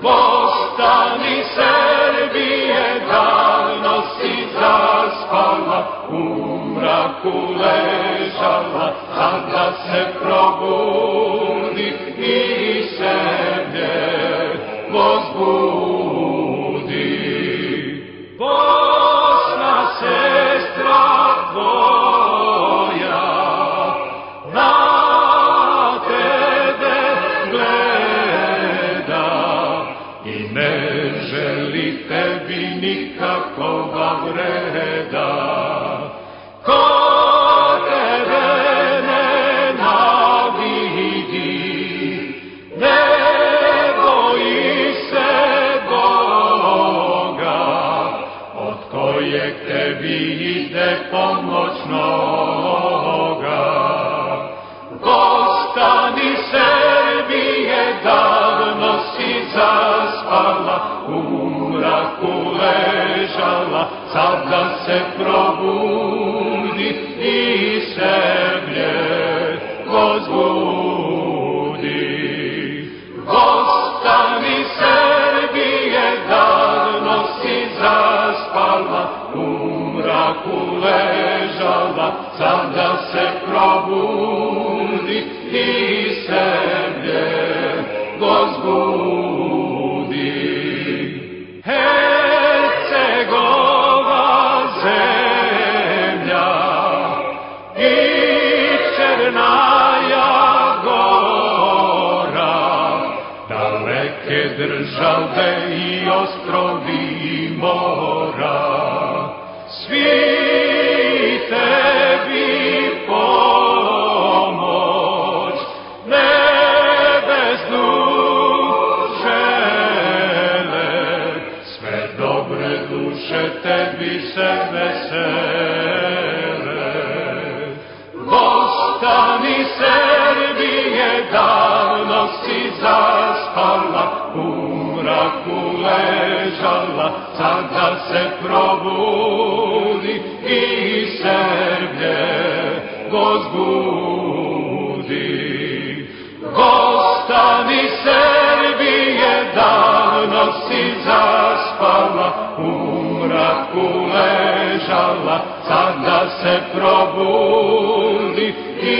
Vostani Srbije, davno si zaspala, u mraku ležala, sada se probudi i zemlje возбуди. Bosna sestra tvoja na tebe gleda i ne želi tebi nikakova vreda. Ko tebe nenavidi, ne boji se Boga, od kojeg tebi ide pomoć noga. Vostani Srbije, davno si zaspala, u mraku ležala, sada se probudi i zemlje возбуди. Vostani Srbije, davno si zaspala, u mraku ležala, sada se probudi i zemlje возбуди. Hercegova zemlja i Černaja Gora, daleke države i ostrovi i mora, svi tebi pomoć nebesnu žele, sve dobre duše tebi se vesele. Vostani Srbije, davno si zaspala, u mraku ležala, sada se probudi i zemlje возбуди. Vostani Srbije, davno si zaspala, u mraku ležala, sada se probudi i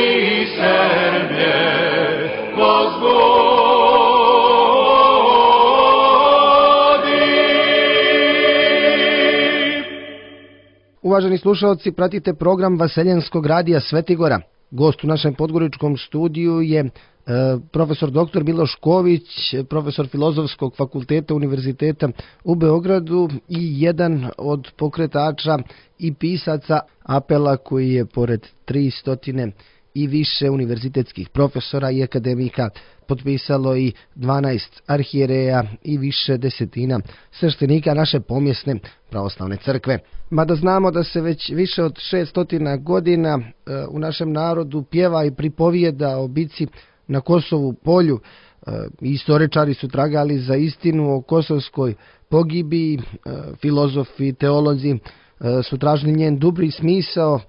zemlje Uvaženi slušalci, pratite program Vaseljenskog radija Svetigora. Gost u našem podgoričkom studiju je e, profesor doktor Miloš Ković, profesor Filozofskog fakulteta Univerziteta u Beogradu i jedan od pokretača i pisaca apela koji je pored tristo i više univerzitetskih profesora i akademika potpisalo i dvanaest arhijereja i više desetina sveštenika naše pomjesne pravoslavne crkve. Mada znamo da se već više od šessto godina e, u našem narodu pjeva i pripovijeda o bici na Kosovu polju, e, istoričari su tragali za istinu o kosovskoj pogibiji, e, filozofi, teolozi e, su tražili njen dubri smisao,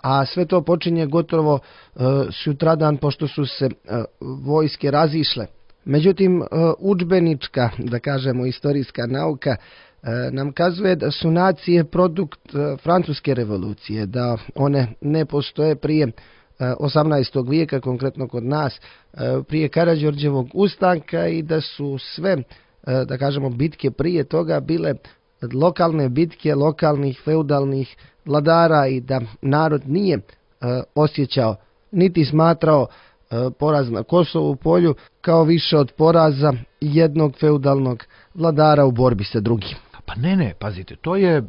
a sve to počinje gotovo e, sutradan pošto su se e, vojske razišle. Međutim, e, udžbenička, da kažemo istorijska nauka, e, nam kazuje da su nacije produkt e, francuske revolucije, da one ne postoje prije e, osamnaestog vijeka, konkretno kod nas, e, prije Karađorđevog ustanka i da su sve, e, da kažemo, bitke prije toga bile lokalne bitke lokalnih feudalnih vladara i da narod nije e, osjećao niti smatrao e, poraz na Kosovu polju kao više od poraza jednog feudalnog vladara u borbi sa drugim. Pa ne, ne, pazite, to je,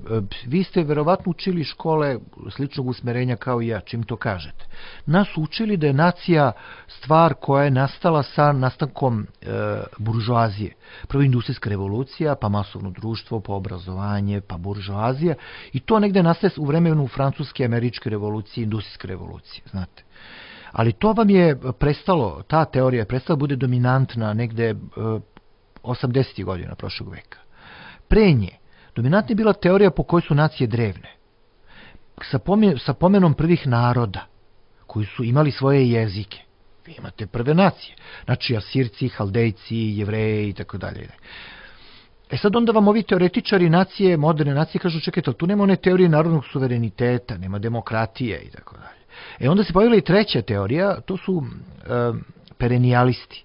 vi ste verovatno učili škole sličnog usmerenja kao i ja, čim to kažete. Nas učili da je nacija stvar koja je nastala sa nastankom e, buržoazije. Prvo industrijska revolucija, pa masovno društvo, pa obrazovanje, pa buržoazija. I to negde nastaje u vremenu francuske i američke revolucije, industrijske revolucije, znate. Ali to vam je prestalo, ta teorija je prestala bude dominantna negde e, osamdesetih godina prošlog veka. Pre nje, dominantna je bila teorija po kojoj su nacije drevne. Sa, pomje, sa pomenom prvih naroda, koji su imali svoje jezike. Vi imate prve nacije. Znači, Asirci, Haldejci, Jevreji i tako dalje. E sad onda vam ovi teoretičari nacije, moderne nacije, kažu, čekajte, tu nema one teorije narodnog suvereniteta, nema demokratije i tako dalje. E onda se pojavila i treća teorija, to su e, perenijalisti.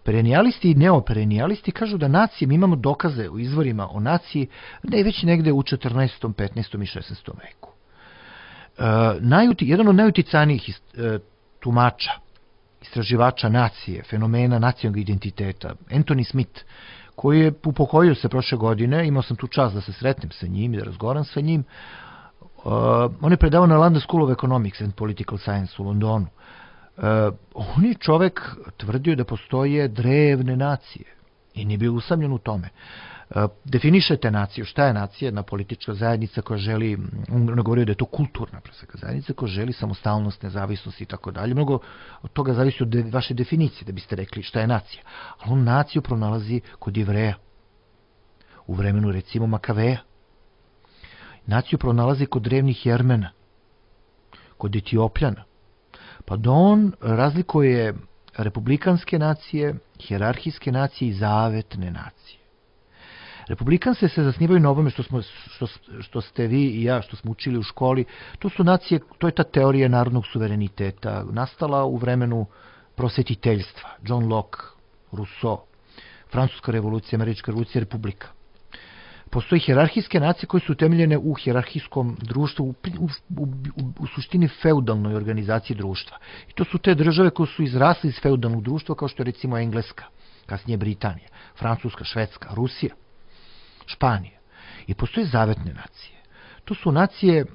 Perenijalisti i neoperenijalisti kažu da nacije, mi imamo dokaze u izvorima o naciji, da je već negde u četrnaestom, petnaestom i šesnaestom veku. E, najuti, jedan od najuticajnijih e, tumača, istraživača nacije, fenomena nacionalnog identiteta, Anthony Smith, koji je upokojio se prošle godine, imao sam tu čast da se sretnem sa njim i da razgovaram sa njim, uh, on je predavao na London School of Economics and Political Science u Londonu. Uh, on je čovek tvrdio da postoje drevne nacije i nije bio usamljen u tome. Uh, definišete naciju, šta je nacija? Jedna politička zajednica koja želi, on govorio da je to kulturna zajednica koja želi samostalnost, nezavisnost i tako dalje. Mnogo od toga zavisi od de, vaše definicije da biste rekli šta je nacija. Ali on naciju pronalazi kod Jevreja, u vremenu recimo Makaveja. Naciju pronalazi kod drevnih Jermena, kod Etiopljana. Pa da on razlikuje republikanske nacije, hijerarhijske nacije i zavetne nacije. Republikanci se zasnivaju na ovome što, smo, što, što ste vi i ja, što smo učili u školi. To su nacije, to je ta teorija narodnog suvereniteta, nastala u vremenu prosvetiteljstva. John Locke, Rousseau, Francuska revolucija, Američka revolucija, Republika. Postoji hijerarhijske nacije koje su utemeljene u hijerarhijskom društvu, u, u, u, u suštini feudalnoj organizaciji društva. I to su te države koje su izrasle iz feudalnog društva, kao što je recimo Engleska, kasnije Britanija, Francuska, Švedska, Rusija, Španija. I postoje zavetne nacije. To su nacije e,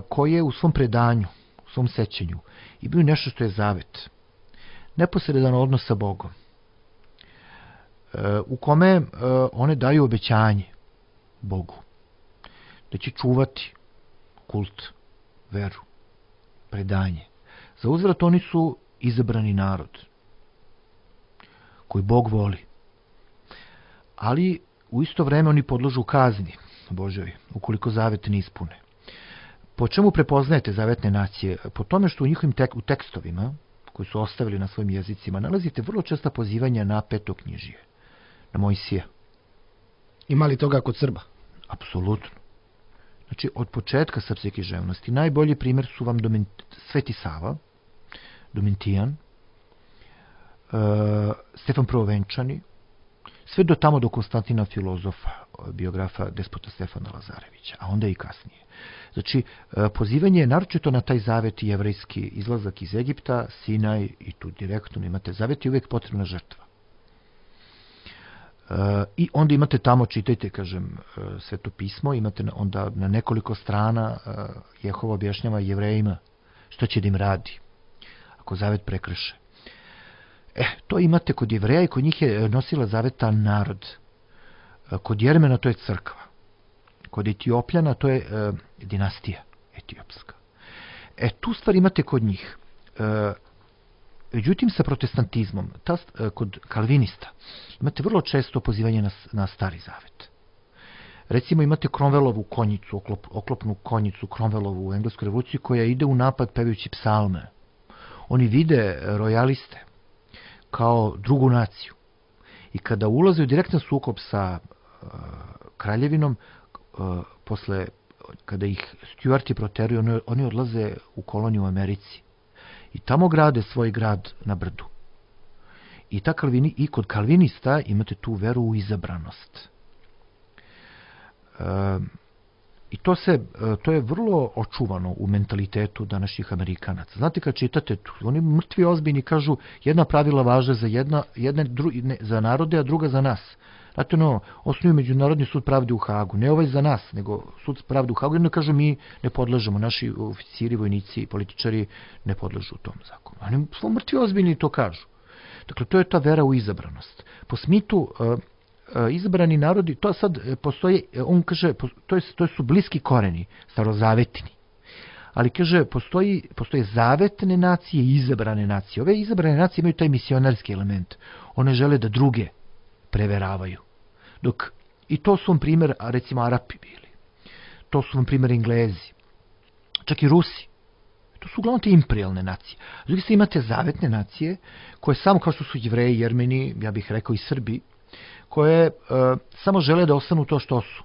koje u svom predanju, u svom sećanju imaju nešto što je zavet. Neposredan odnos sa Bogom. E, u kome e, one daju obećanje Bogu. Da će čuvati kult, veru, predanje. Za uzvrat oni su izabrani narod koji Bog voli. Ali u isto vreme oni podložu kazni Božoj, ukoliko zavet ne ispune. Po čemu prepoznajete zavetne nacije? Po tome što u njihovim tek, u tekstovima, koji su ostavili na svojim jezicima, nalazite vrlo česta pozivanja na petoknjižje, na Mojsija. Ima li toga kod Srba? Apsolutno. Znači, od početka srpske književnosti najbolji primjer su vam Doment, Sveti Sava, Domentijan, Stefan Prvovenčani, sve do tamo do Konstantina Filozofa, biografa despota Stefana Lazarevića, a onda i kasnije. Znači, pozivanje naročito na taj zavet jevrejski izlazak iz Egipta, Sinaj i tu direktno imate zavet i uvijek potrebna žrtva. I onda imate tamo, čitajte, kažem, Sveto pismo, imate onda na nekoliko strana Jehova objašnjava Jevrejima što će da im radi ako zavet prekrše. E, to imate kod Jevreja i kod njih je nosila zaveta narod. Kod Jermena to je crkva. Kod Etiopljana to je e, dinastija etiopska. E, tu stvar imate kod njih. E, međutim, sa protestantizmom, ta, e, kod kalvinista, imate vrlo često pozivanje na, na stari zavet. Recimo, imate Cromwellovu konjicu, oklop, oklopnu konjicu Cromwellovu u engleskoj revoluciji, koja ide u napad pevajući psalme. Oni vide rojaliste kao drugu naciju. I kada ulaze u direktan sukob sa uh, kraljevinom, uh, posle, kada ih Stuarti proteruju, oni, oni odlaze u koloniju u Americi. I tamo grade svoj grad na brdu. I, ta Kalvini, i kod kalvinista imate tu veru u izabranost. Uh, I to, se, to je vrlo očuvano u mentalitetu današnjih Amerikanaca. Znate, kad čitate, oni mrtvi ozbiljni kažu jedna pravila važe za, jedna, jedna, dru, ne, za narode, a druga za nas. Znate, no, osnuju Međunarodni sud pravde u Hagu. Ne ovaj za nas, nego sud pravde u Hagu. Jedno kažu, mi ne podležemo, naši oficiri, vojnici i političari ne podležu tom zakonu. Oni svo mrtvi ozbiljni to kažu. Dakle, to je ta vera u izabranost. Po Smithu, izabrani narodi, to sad postoji, on kaže, to, je, to su bliski koreni, starozavetni. Ali kaže, postoji, postoje zavetne nacije i izabrane nacije. Ove izabrane nacije imaju taj misionarski element. One žele da druge preveravaju. Dok, i to su vam primjer, recimo, Arapi bili. To su vam primjer Englezi. Čak i Rusi. To su uglavnom te imperialne nacije. S druge strane imate zavetne nacije, koje samo kao što su Jevreji, Jermeni, ja bih rekao i Srbi, koje e, samo žele da ostanu to što su.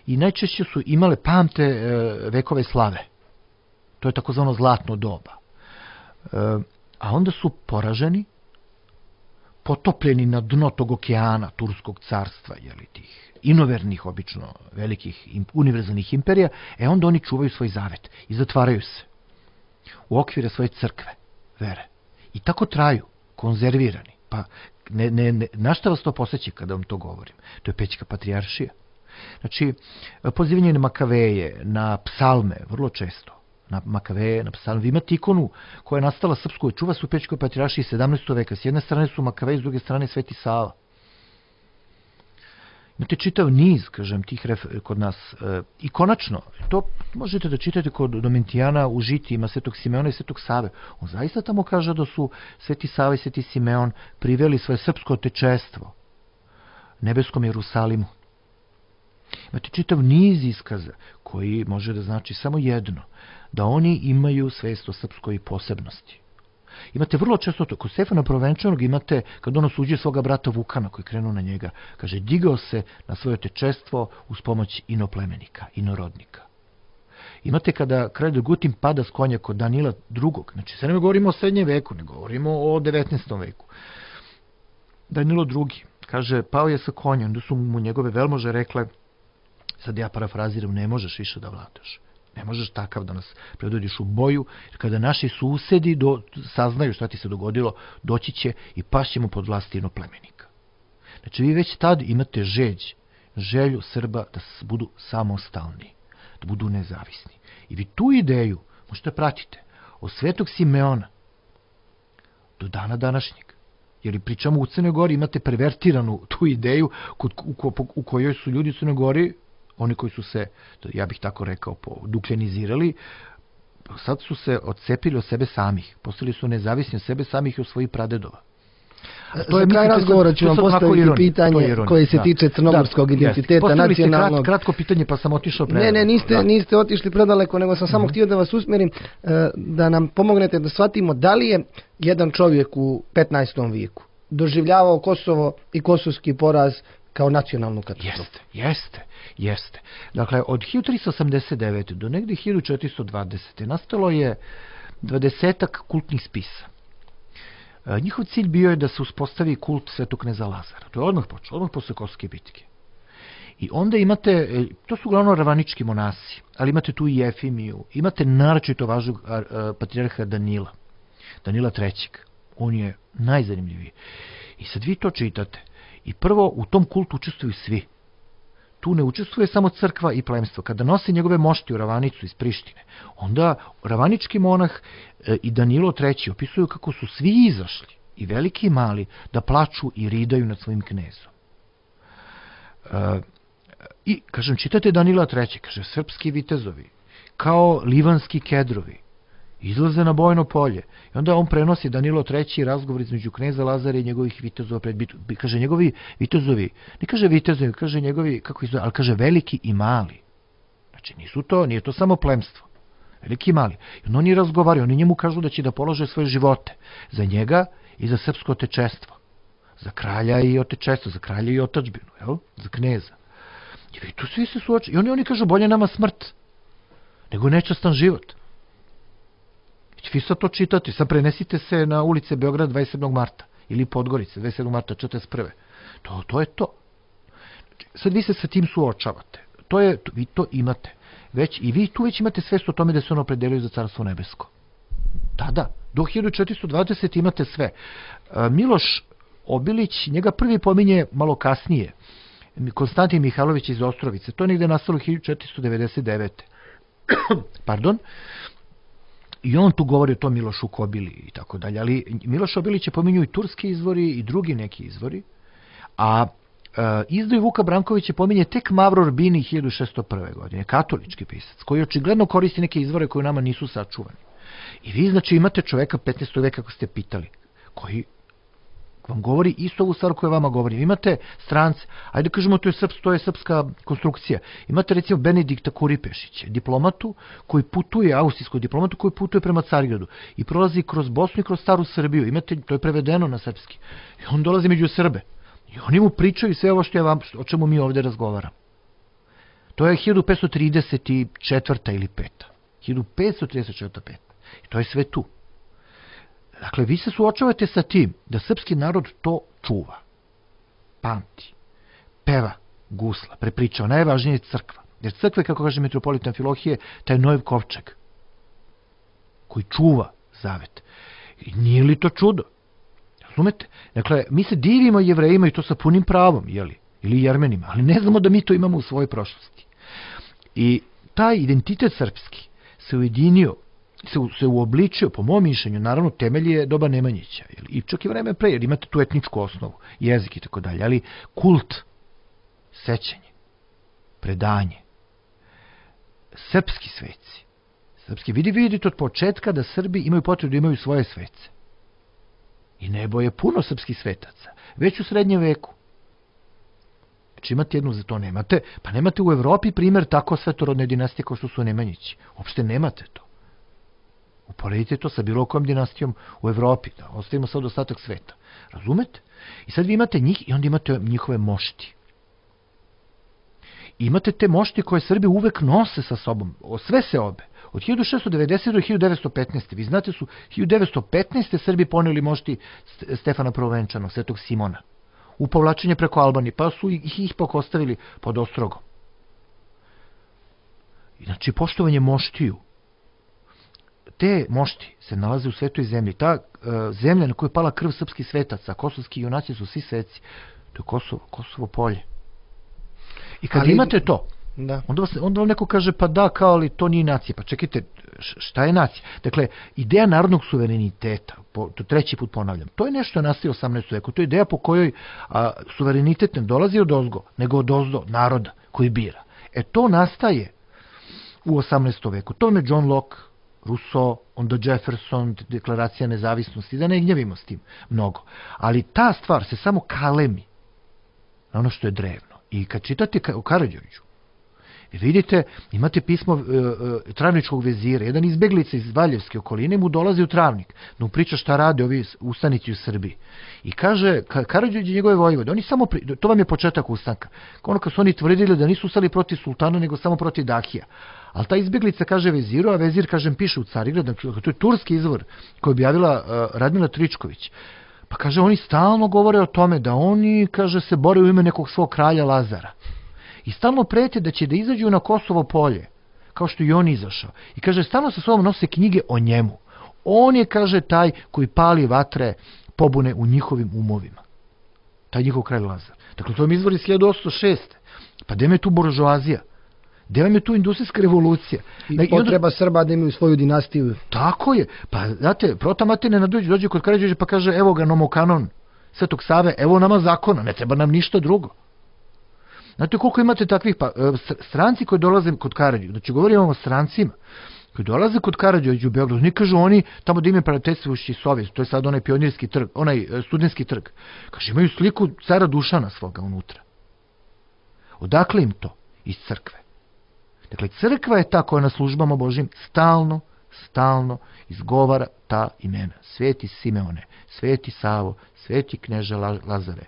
I najčešće su imale pamte e, vekove slave. To je takozvano zlatno doba. E, a onda su poraženi, potopljeni na dno tog okeana Turskog carstva, jeli, tih inovernih, obično velikih univerzalnih imperija, e onda oni čuvaju svoj zavet i zatvaraju se u okvire svoje crkve, vere. I tako traju, konzervirani. Pa ne, ne, ne, na šta vas to posjeća kada vam to govorim? To je Pećka patrijaršija. Znači, pozivanje na Makaveje, na psalme, vrlo često, na Makaveje, na psalme. Vi imate ikonu koja je nastala srpskoj, čuva se u Pećkoj patrijaršiji sedamnaestog veka. S jedne strane su Makaveji, s druge strane Sveti Sava. Imate čitav niz, kažem, tih ref, kod nas. E, I konačno, to možete da čitate kod Domitijana u žitijima Svetog Simeona i Svetog Save. On zaista tamo kaže da su Sveti Sava i Sveti Simeon priveli svoje srpsko otečestvo nebeskom Jerusalimu. Imate čitav niz iskaza koji može da znači samo jedno, da oni imaju svest o srpskoj posebnosti. Imate vrlo često to, kod Stefana Prvovenčanog imate, kad on osuđuje svoga brata Vukana koji krenu na njega, kaže, digao se na svoje otečestvo uz pomoć inoplemenika, inorodnika. Imate kada kralj Dragutin pada s konja kod Danila drugog, znači sad ne govorimo o srednjem veku, ne govorimo o devetnaestom veku. Danilo drugi, kaže, pao je sa konja, onda su mu njegove velmože rekle, sad ja parafraziram, ne možeš više da vladaš. Ne možeš takav da nas predvodiš u boju, jer kada naši susedi do, saznaju šta ti se dogodilo, doći će i pašćemo pod vlast inoplemenika. Znači, vi već tad imate žeđ, želju Srba da budu samostalni, da budu nezavisni. I vi tu ideju možete pratiti od Svetog Simeona do dana današnjeg. Jer pričamo u Crnoj Gori, imate pervertiranu tu ideju kod, u, u kojoj su ljudi u Crnoj Gori, oni koji su se, ja bih tako rekao, duklenizirali, sad su se odcepili od sebe samih. Postali su nezavisni od sebe samih i od svojih pradedova. To je kraj razgovora, ću vam postaviti pitanje koje se tiče crnogorskog identiteta, nacionalnog. Krat, kratko pitanje, pa sam otišao predaleko. Ne, ne, niste, niste otišli predaleko, nego sam samo mm-hmm. htio da vas usmjerim, da nam pomognete da shvatimo da li je jedan čovjek u petnaestom vijeku doživljavao Kosovo i kosovski poraz kao nacionalnu katastrofu. Jeste, jeste, jeste. Dakle, od hiljadu tristo osamdeset devete do negdje hiljadu četiristo dvadesete nastalo je dvadesetak kultnih spisa. njihov cilj bio je da se uspostavi kult svetog kneza Lazara. To je odmah počelo, odmah posle Kosovske bitke. I onda imate, to su uglavnom ravanički monasi, ali imate tu i Jefimiju, imate naročito važnog patrijarha Danila, Danila trećeg. On je najzanimljiviji. I sad vi to čitate. I prvo, u tom kultu učestvuju svi. Tu ne učestvuje samo crkva i plemstvo. Kada nosi njegove mošti u Ravanicu iz Prištine, onda ravanički monah i Danilo treći opisuju kako su svi izašli, i veliki i mali, da plaču i ridaju nad svojim knezom. E, I, kažem, čitate Danila treći, kaže, srpski vitezovi, kao livanski kedrovi, izlaze na bojno polje. I onda on prenosi Danilo treći razgovor između kneza Lazara i njegovih vitezova pred bitku. Kaže, njegovi vitezovi, ne kaže vitezovi, kaže njegovi, kako izgleda, ali kaže veliki i mali. Znači, nisu to, nije to samo plemstvo. Veliki i mali. I onda oni razgovaraju, oni njemu kažu da će da polože svoje živote za njega i za srpsko otečestvo. Za kralja i otečestvo, za kralja i otačbinu, jel? Za kneza. I tu svi se suoče. I oni, oni kažu, bolje nama smrt nego nečastan život. Vi sad to čitate, sad prenesite se na ulice Beograd dvadeset sedmog marta ili Podgorice dvadeset sedmog marta četrdeset prve. To, to je to. Sad vi se sa tim suočavate. To je, vi to imate. Već, i vi tu već imate svest o tome da se ono opredeljuju za carstvo nebesko. Da, da. Do hiljadu četiristo dvadeset imate sve. Miloš Obilić, njega prvi pominje malo kasnije. Konstantin Mihajlović iz Ostrovice. To je negde nastalo hiljadu četiristo devedeset devete. Pardon. I on tu govori o tom Milošu Kobili i tako dalje. Ali Miloš Obilić je pominju i turski izvori i drugi neki izvori. A e, izdaju Vuka Brankovića pominje tek Mavro Urbini hiljadu šessto prve. godine. Katolički pisac koji očigledno koristi neke izvore koje nama nisu sačuvani. I vi znači imate čoveka petnaestog veka kako ste pitali, koji vam govori isto ovu stvar koju vama govori. Imate strance, ajde kažemo to je, srps, to je srpska konstrukcija. Imate recimo Benedikta Kuripešića, diplomatu koji putuje, austrijskog diplomatu koji putuje prema Carigradu i prolazi kroz Bosnu i kroz staru Srbiju. Imate, to je prevedeno na srpski. I on dolazi među Srbe. I oni mu pričaju sve ovo što je vam, o čemu mi ovde razgovaramo. To je hiljadu petsto trideset četvrta ili peta. hiljadu petsto trideset četvrta peta. I to je sve tu. Dakle, vi se suočavate sa tim da srpski narod to čuva, pamti, peva, gusla, prepričava, najvažnije je crkva. Jer crkva je, kako kaže mitropolitan Amfilohije, taj Noev kovčeg koji čuva zavet. I nije li to čudo? Razumete? Dakle, mi se divimo Jevrejima i to sa punim pravom, jeli? Ili Jermenima, ali ne znamo da mi to imamo u svojoj prošlosti. I taj identitet srpski se ujedinio, se, se uobličio, po mom mišljenju, naravno temelj je doba Nemanjića, jel? I čak i vreme pre, jer imate tu etničku osnovu, jezik i tako dalje, ali kult, sećanje, predanje, srpski sveci, srpski, vidi, vidite od početka da Srbi imaju potrebu da imaju svoje svece. I nebo je puno srpskih svetaca, već u srednjem veku. Znači imate jednu, za to nemate, pa nemate u Evropi primjer tako svetorodne dinastije kao što su Nemanjići. Uopšte nemate to. Uporedite to sa bilo kojom dinastijom u Evropi, da ostavimo sad ostatak sveta. Razumete? I sad vi imate njih i onda imate njihove mošti. I imate te mošti koje Srbi uvek nose sa sobom, sve se obe. Od hiljadu šeststo devedesete. do hiljadu devetsto petnaeste. Vi znate su hiljadu devetsto petnaeste. Srbi poneli mošti Stefana Prvovenčanog, Svetog Simona, u povlačenje preko Albanije, pa su ih, ih pak ostavili pod ostrogom. Znači, poštovanje moštiju. Te mošti se nalaze u svetoj zemlji. Ta uh, zemlja na kojoj je pala krv srpskih svetaca, kosovski junaci su svi sveci. To je Kosovo, Kosovo polje. I kad ali, imate to, da. Onda, vas, onda vam neko kaže, pa da, kao ali to nije nacija. Pa čekajte, šta je nacija? Dakle, ideja narodnog suvereniteta, po, to treći put ponavljam, to je nešto nastalo u osamnaestom veku. To je ideja po kojoj a, suverenitet ne dolazi od ozgo, nego od ozdo naroda koji bira. E to nastaje u osamnaestom veku. To je John Locke, Rousseau, onda Jefferson, deklaracija nezavisnosti, da ne gnjavimo s tim mnogo. Ali ta stvar se samo kalemi na ono što je drevno. I kad čitate o Karađorđu, vi vidite, imate pismo uh, uh, Travničkog vezira, jedan izbeglica iz Valjevske okoline mu dolazi u Travnik, da mu priča šta rade ovi ustanici u Srbiji. I kaže, Karađorđe i njegove vojvode, oni samo, pri... to vam je početak ustanka, ono kad su oni tvrdili da nisu ustali protiv sultana, nego samo protiv Dahija. Ali ta izbjeglica kaže veziru, a vezir, kažem, piše u Carigrad, to je turski izvor koji je objavila uh, Radmila Tričković. Pa kaže, oni stalno govore o tome da oni, kaže, se bore u ime nekog svog kralja Lazara. I stalno prete da će da izađu na Kosovo polje, kao što i on izašao. I kaže, stalno sa sobom nose knjige o njemu. On je, kaže, taj koji pali vatre pobune u njihovim umovima. Taj njihov kralj Lazar. Dakle, to je izvor iz hiljadu osamsto šeste. Pa gde me tu buržoazija? Gde vam je tu industrijska revolucija? I potreba Srba da imaju svoju dinastiju. Tako je. Pa, znate, Prota Matej Nenadović dođe kod Karađorđa pa kaže, evo ga nomokanon Svetog Save, evo nama zakona, ne treba nam ništa drugo. Znate koliko imate takvih, pa, stranci koji dolaze kod Karađorđa, znači govorimo o strancima, koji dolaze kod Karađorđa u Beogradu, ne kažu oni tamo da imaju prijateljstvujući Sovjet, to je sad onaj pionirski trg, onaj studentski trg. Kaže, imaju sliku cara Dušana svoga unutra. Odakle im to? Iz crkve. Dakle, crkva je ta koja na službama Božim stalno, stalno izgovara ta imena. Sveti Simeone, Sveti Savo, Sveti Kneže Lazare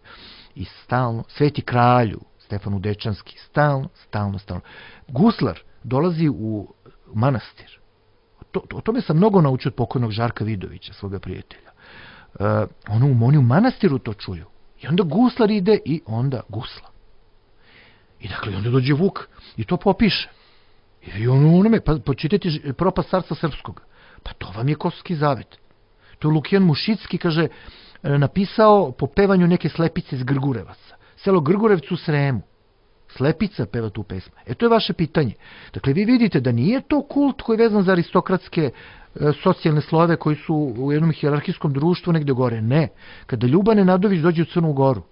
i stalno, Sveti Kralju, Stefanu Dečanski, stalno, stalno, stalno. Guslar dolazi u manastir. To, to, o tome sam mnogo naučio od pokojnog Žarka Vidovića, svoga prijatelja. Uh, ono, oni u manastiru to čuju. I onda guslar ide i onda gusla. I dakle, onda dođe Vuk i to popiše. I ono, onome, pa počitajte Propast carstva srpskog. Pa to vam je Kosovski zavet. To je Lukijan Mušicki, kaže, napisao po pevanju neke slepice iz Grgurevaca. Selo Grgurevcu u Sremu. Slepica peva tu pesmu. E, to je vaše pitanje. Dakle, vi vidite da nije to kult koji je vezan za aristokratske e, socijalne slojeve koji su u jednom hijerarhijskom društvu negde gore. Ne. Kada Ljuban Nenadović dođe u Crnu Goru,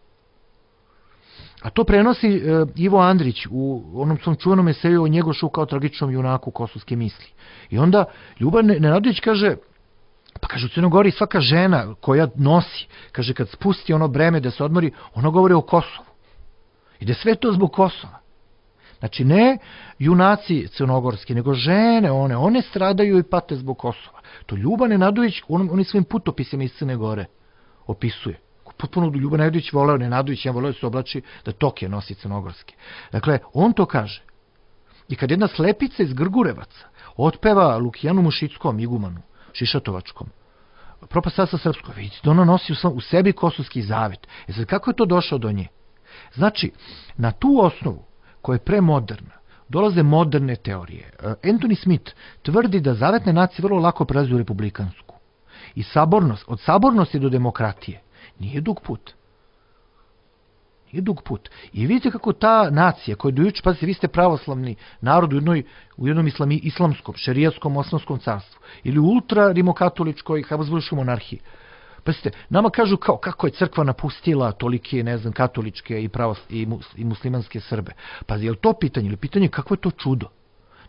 a to prenosi e, Ivo Andrić u onom svom čuvenom eseju o Njegošu kao tragičnom junaku kosovske misli. I onda Ljuban Nenadović kaže, pa kaže u Crnoj Gori svaka žena koja nosi, kaže kad spusti ono breme da se odmori, ona govori o Kosovu. I da sve to zbog Kosova. Znači ne junaci crnogorski, nego žene, one, one stradaju i pate zbog Kosova. To Ljuban Nenadović, on, on svojim putopisima iz Crne Gore opisuje. Potpuno Ljuban Nenadović voleo, Nenadović ja voleo da se oblači da Tokije nosi crnogorski. Dakle, on to kaže. I kad jedna slepica iz Grgurevaca otpeva Lukijanu Mušickom, igumanu, Šišatovačkom, Propast carstva srpskog, vidite da ona nosi u, u sebi Kosovski zavet. E sad, kako je to došao do nje? Znači, na tu osnovu, koja je premoderna, dolaze moderne teorije. Anthony Smith tvrdi da zavetne nacije vrlo lako prelaze u republikansku. I sabornost, od sabornosti do demokratije, nije dug put. Nije dug put. I vidite kako ta nacija, koja je dojuče, pazite, vi ste pravoslavni narod u, jednoj, u jednom islami, islamskom, šerijatskom, osmanskom carstvu, ili u ultra-rimokatoličkoj habsburškoj monarhiji. Pazite, nama kažu kao, kako je crkva napustila tolike, ne znam, katoličke i, pravos, i, mus, i muslimanske Srbe. Pa je li to pitanje? Ili pitanje kako je to čudo?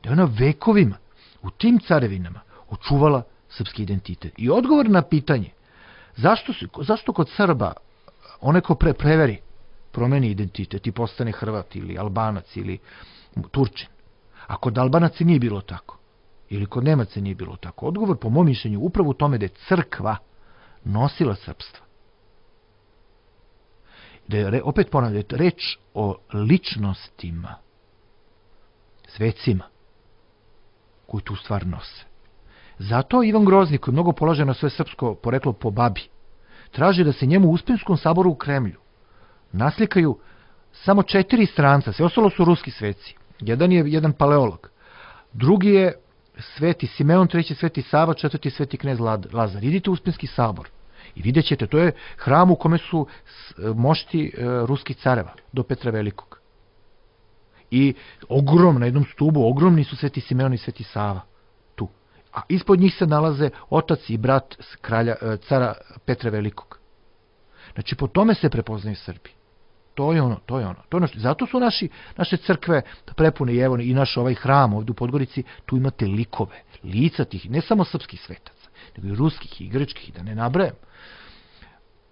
Da je ona vekovima u tim carevinama očuvala srpski identitet. I odgovor na pitanje, zašto, zašto kod Srba onaj ko pre, preveri, promeni identitet i postane Hrvat ili Albanac ili Turčin, a kod Albanaca nije bilo tako, ili kod Nemaca nije bilo tako. Odgovor, po mom mišljenju, upravo u tome da je crkva nosila srpstva. Da je, opet ponavljam, da je reč o ličnostima, svecima, koji tu stvar nose. Zato Ivan Grozni, koji mnogo polaže na sve srpsko poreklo po babi, traži da se njemu u Uspenskom saboru u Kremlju naslikaju samo četiri stranca, sve ostalo su ruski sveci. Jedan je jedan paleolog, drugi je Sveti Simeon, treći Sveti Sava, četvrti Sveti knez Lazar. Idite u Uspenski sabor i vidjet ćete, to je hram u kome su mošti ruskih careva do Petra Velikog. I ogromno, na jednom stubu, ogromni su Sveti Simeon i Sveti Sava tu. A ispod njih se nalaze otac i brat kralja, cara Petra Velikog. Znači, po tome se prepoznaju Srbi. To je ono, to je ono. To je ono što, zato su naši, naše crkve prepune i evo i naš ovaj hram ovdje u Podgorici, tu imate likove, lica tih, ne samo srpskih svetaca, nego i ruskih i grčkih, da ne nabrajam.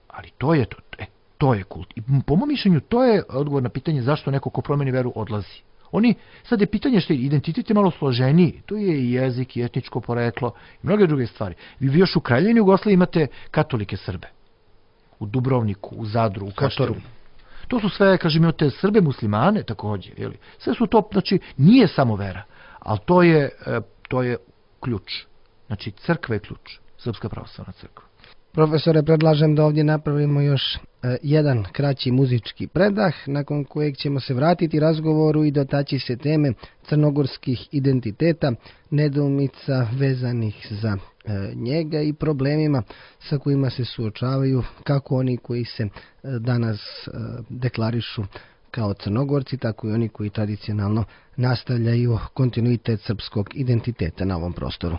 Ali to je to, e, to je kult. I po mom mišljenju, to je odgovor na pitanje zašto neko ko promeni veru odlazi. Oni, sad je pitanje što je identitet je malo složeniji, to je i jezik, i etničko poreklo, i mnoge druge stvari. Vi još u Kraljevini Jugoslaviji imate katolike Srbe. U Dubrovniku, u Zadru, u Kaštoru. To su sve, kažem, imate Srbe, muslimane također. Jeli? Sve su to, znači, nije samo vera, Ali to je, to je ključ. Znači, crkva je ključ. Srpska pravoslavna crkva. Profesore, predlažem da ovdje napravimo još e, jedan kraći muzički predah, nakon kojeg ćemo se vratiti razgovoru i dotaći se teme crnogorskih identiteta, nedoumica vezanih za e, njega i problemima sa kojima se suočavaju kako oni koji se e, danas e, deklarišu kao Crnogorci, tako i oni koji tradicionalno nastavljaju kontinuitet srpskog identiteta na ovom prostoru.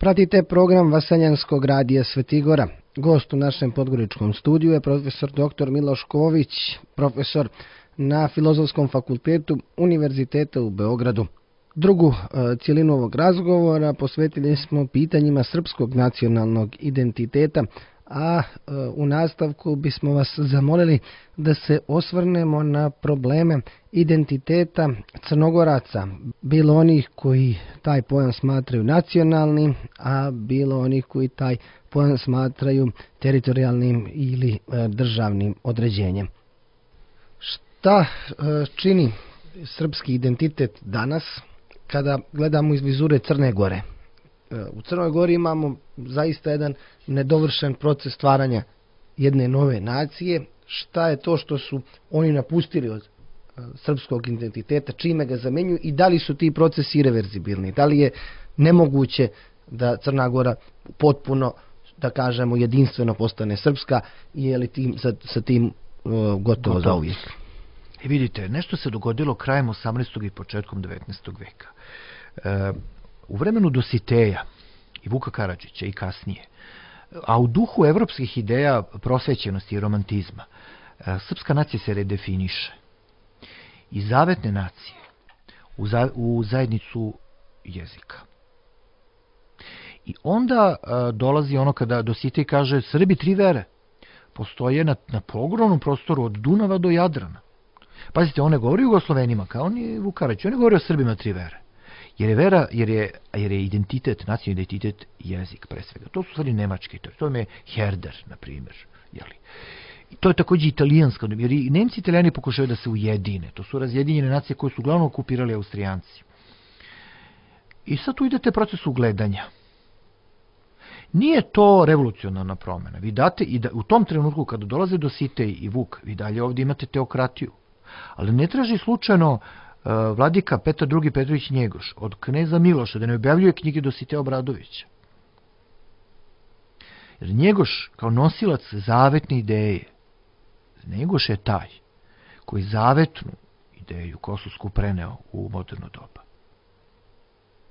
Pratite program Vaseljanskog radija Svetigora. Gost u našem podgoričkom studiju je profesor doktor Miloš Ković, profesor na Filozofskom fakultetu Univerziteta u Beogradu. Drugu e, cijelinu ovog razgovora posvetili smo pitanjima srpskog nacionalnog identiteta, a e, u nastavku bismo vas zamolili da se osvrnemo na probleme identiteta Crnogoraca, bilo onih koji taj pojam smatraju nacionalnim, a bilo onih koji taj pojam smatraju teritorijalnim ili e, državnim određenjem. Šta e, čini srpski identitet danas kada gledamo iz vizure Crne Gore? U Crnoj Gori imamo zaista jedan nedovršen proces stvaranja jedne nove nacije. Šta je to što su oni napustili od srpskog identiteta, čime ga zamenjuju i da li su ti procesi irreverzibilni? Da li je nemoguće da Crna Gora potpuno, da kažemo, jedinstveno postane srpska i je li tim, sa, sa tim uh, gotovo, gotovo za uvijek? I vidite, nešto se dogodilo krajem osamnaestog i početkom devetnaestog veka. E, u vremenu Dositeja i Vuka Karadžića i kasnije, a u duhu evropskih ideja prosvećenosti i romantizma, e, srpska nacija se redefiniše. Iz zavetne nacije u, za, u zajednicu jezika. I onda e, dolazi ono kada Dositej kaže Srbi tri vere postoje na, na ogromnom prostoru od Dunava do Jadrana. Pazite, on ne govori o Jugoslovenima kao ni Vuk Karadžić, on ne govori o Srbima tri vere. Jer je vera, jer je, jer je identitet, nacionalni identitet jezik pre svega. To su stvari nemački, to je Herder, na primjer. Jeli. I to je također italijanska, jer i Nemci i Italijani pokušaju da se ujedine. To su razjedinjene nacije koje su uglavnom okupirali Austrijanci. I sad tu idete proces ugledanja. Nije to revolucionarna promjena. Vi date, i da, u tom trenutku kada dolaze Dositej i Vuk, vi dalje ovdje imate teokratiju. Ali ne traži slučajno uh, vladika Petar drugi. Petrović Njegoš od kneza Miloša da ne objavljuje knjige Dositeja Obradovića. Jer Njegoš kao nosilac zavetne ideje, Njegoš je taj koji zavetnu ideju kosovsku preneo u moderno doba.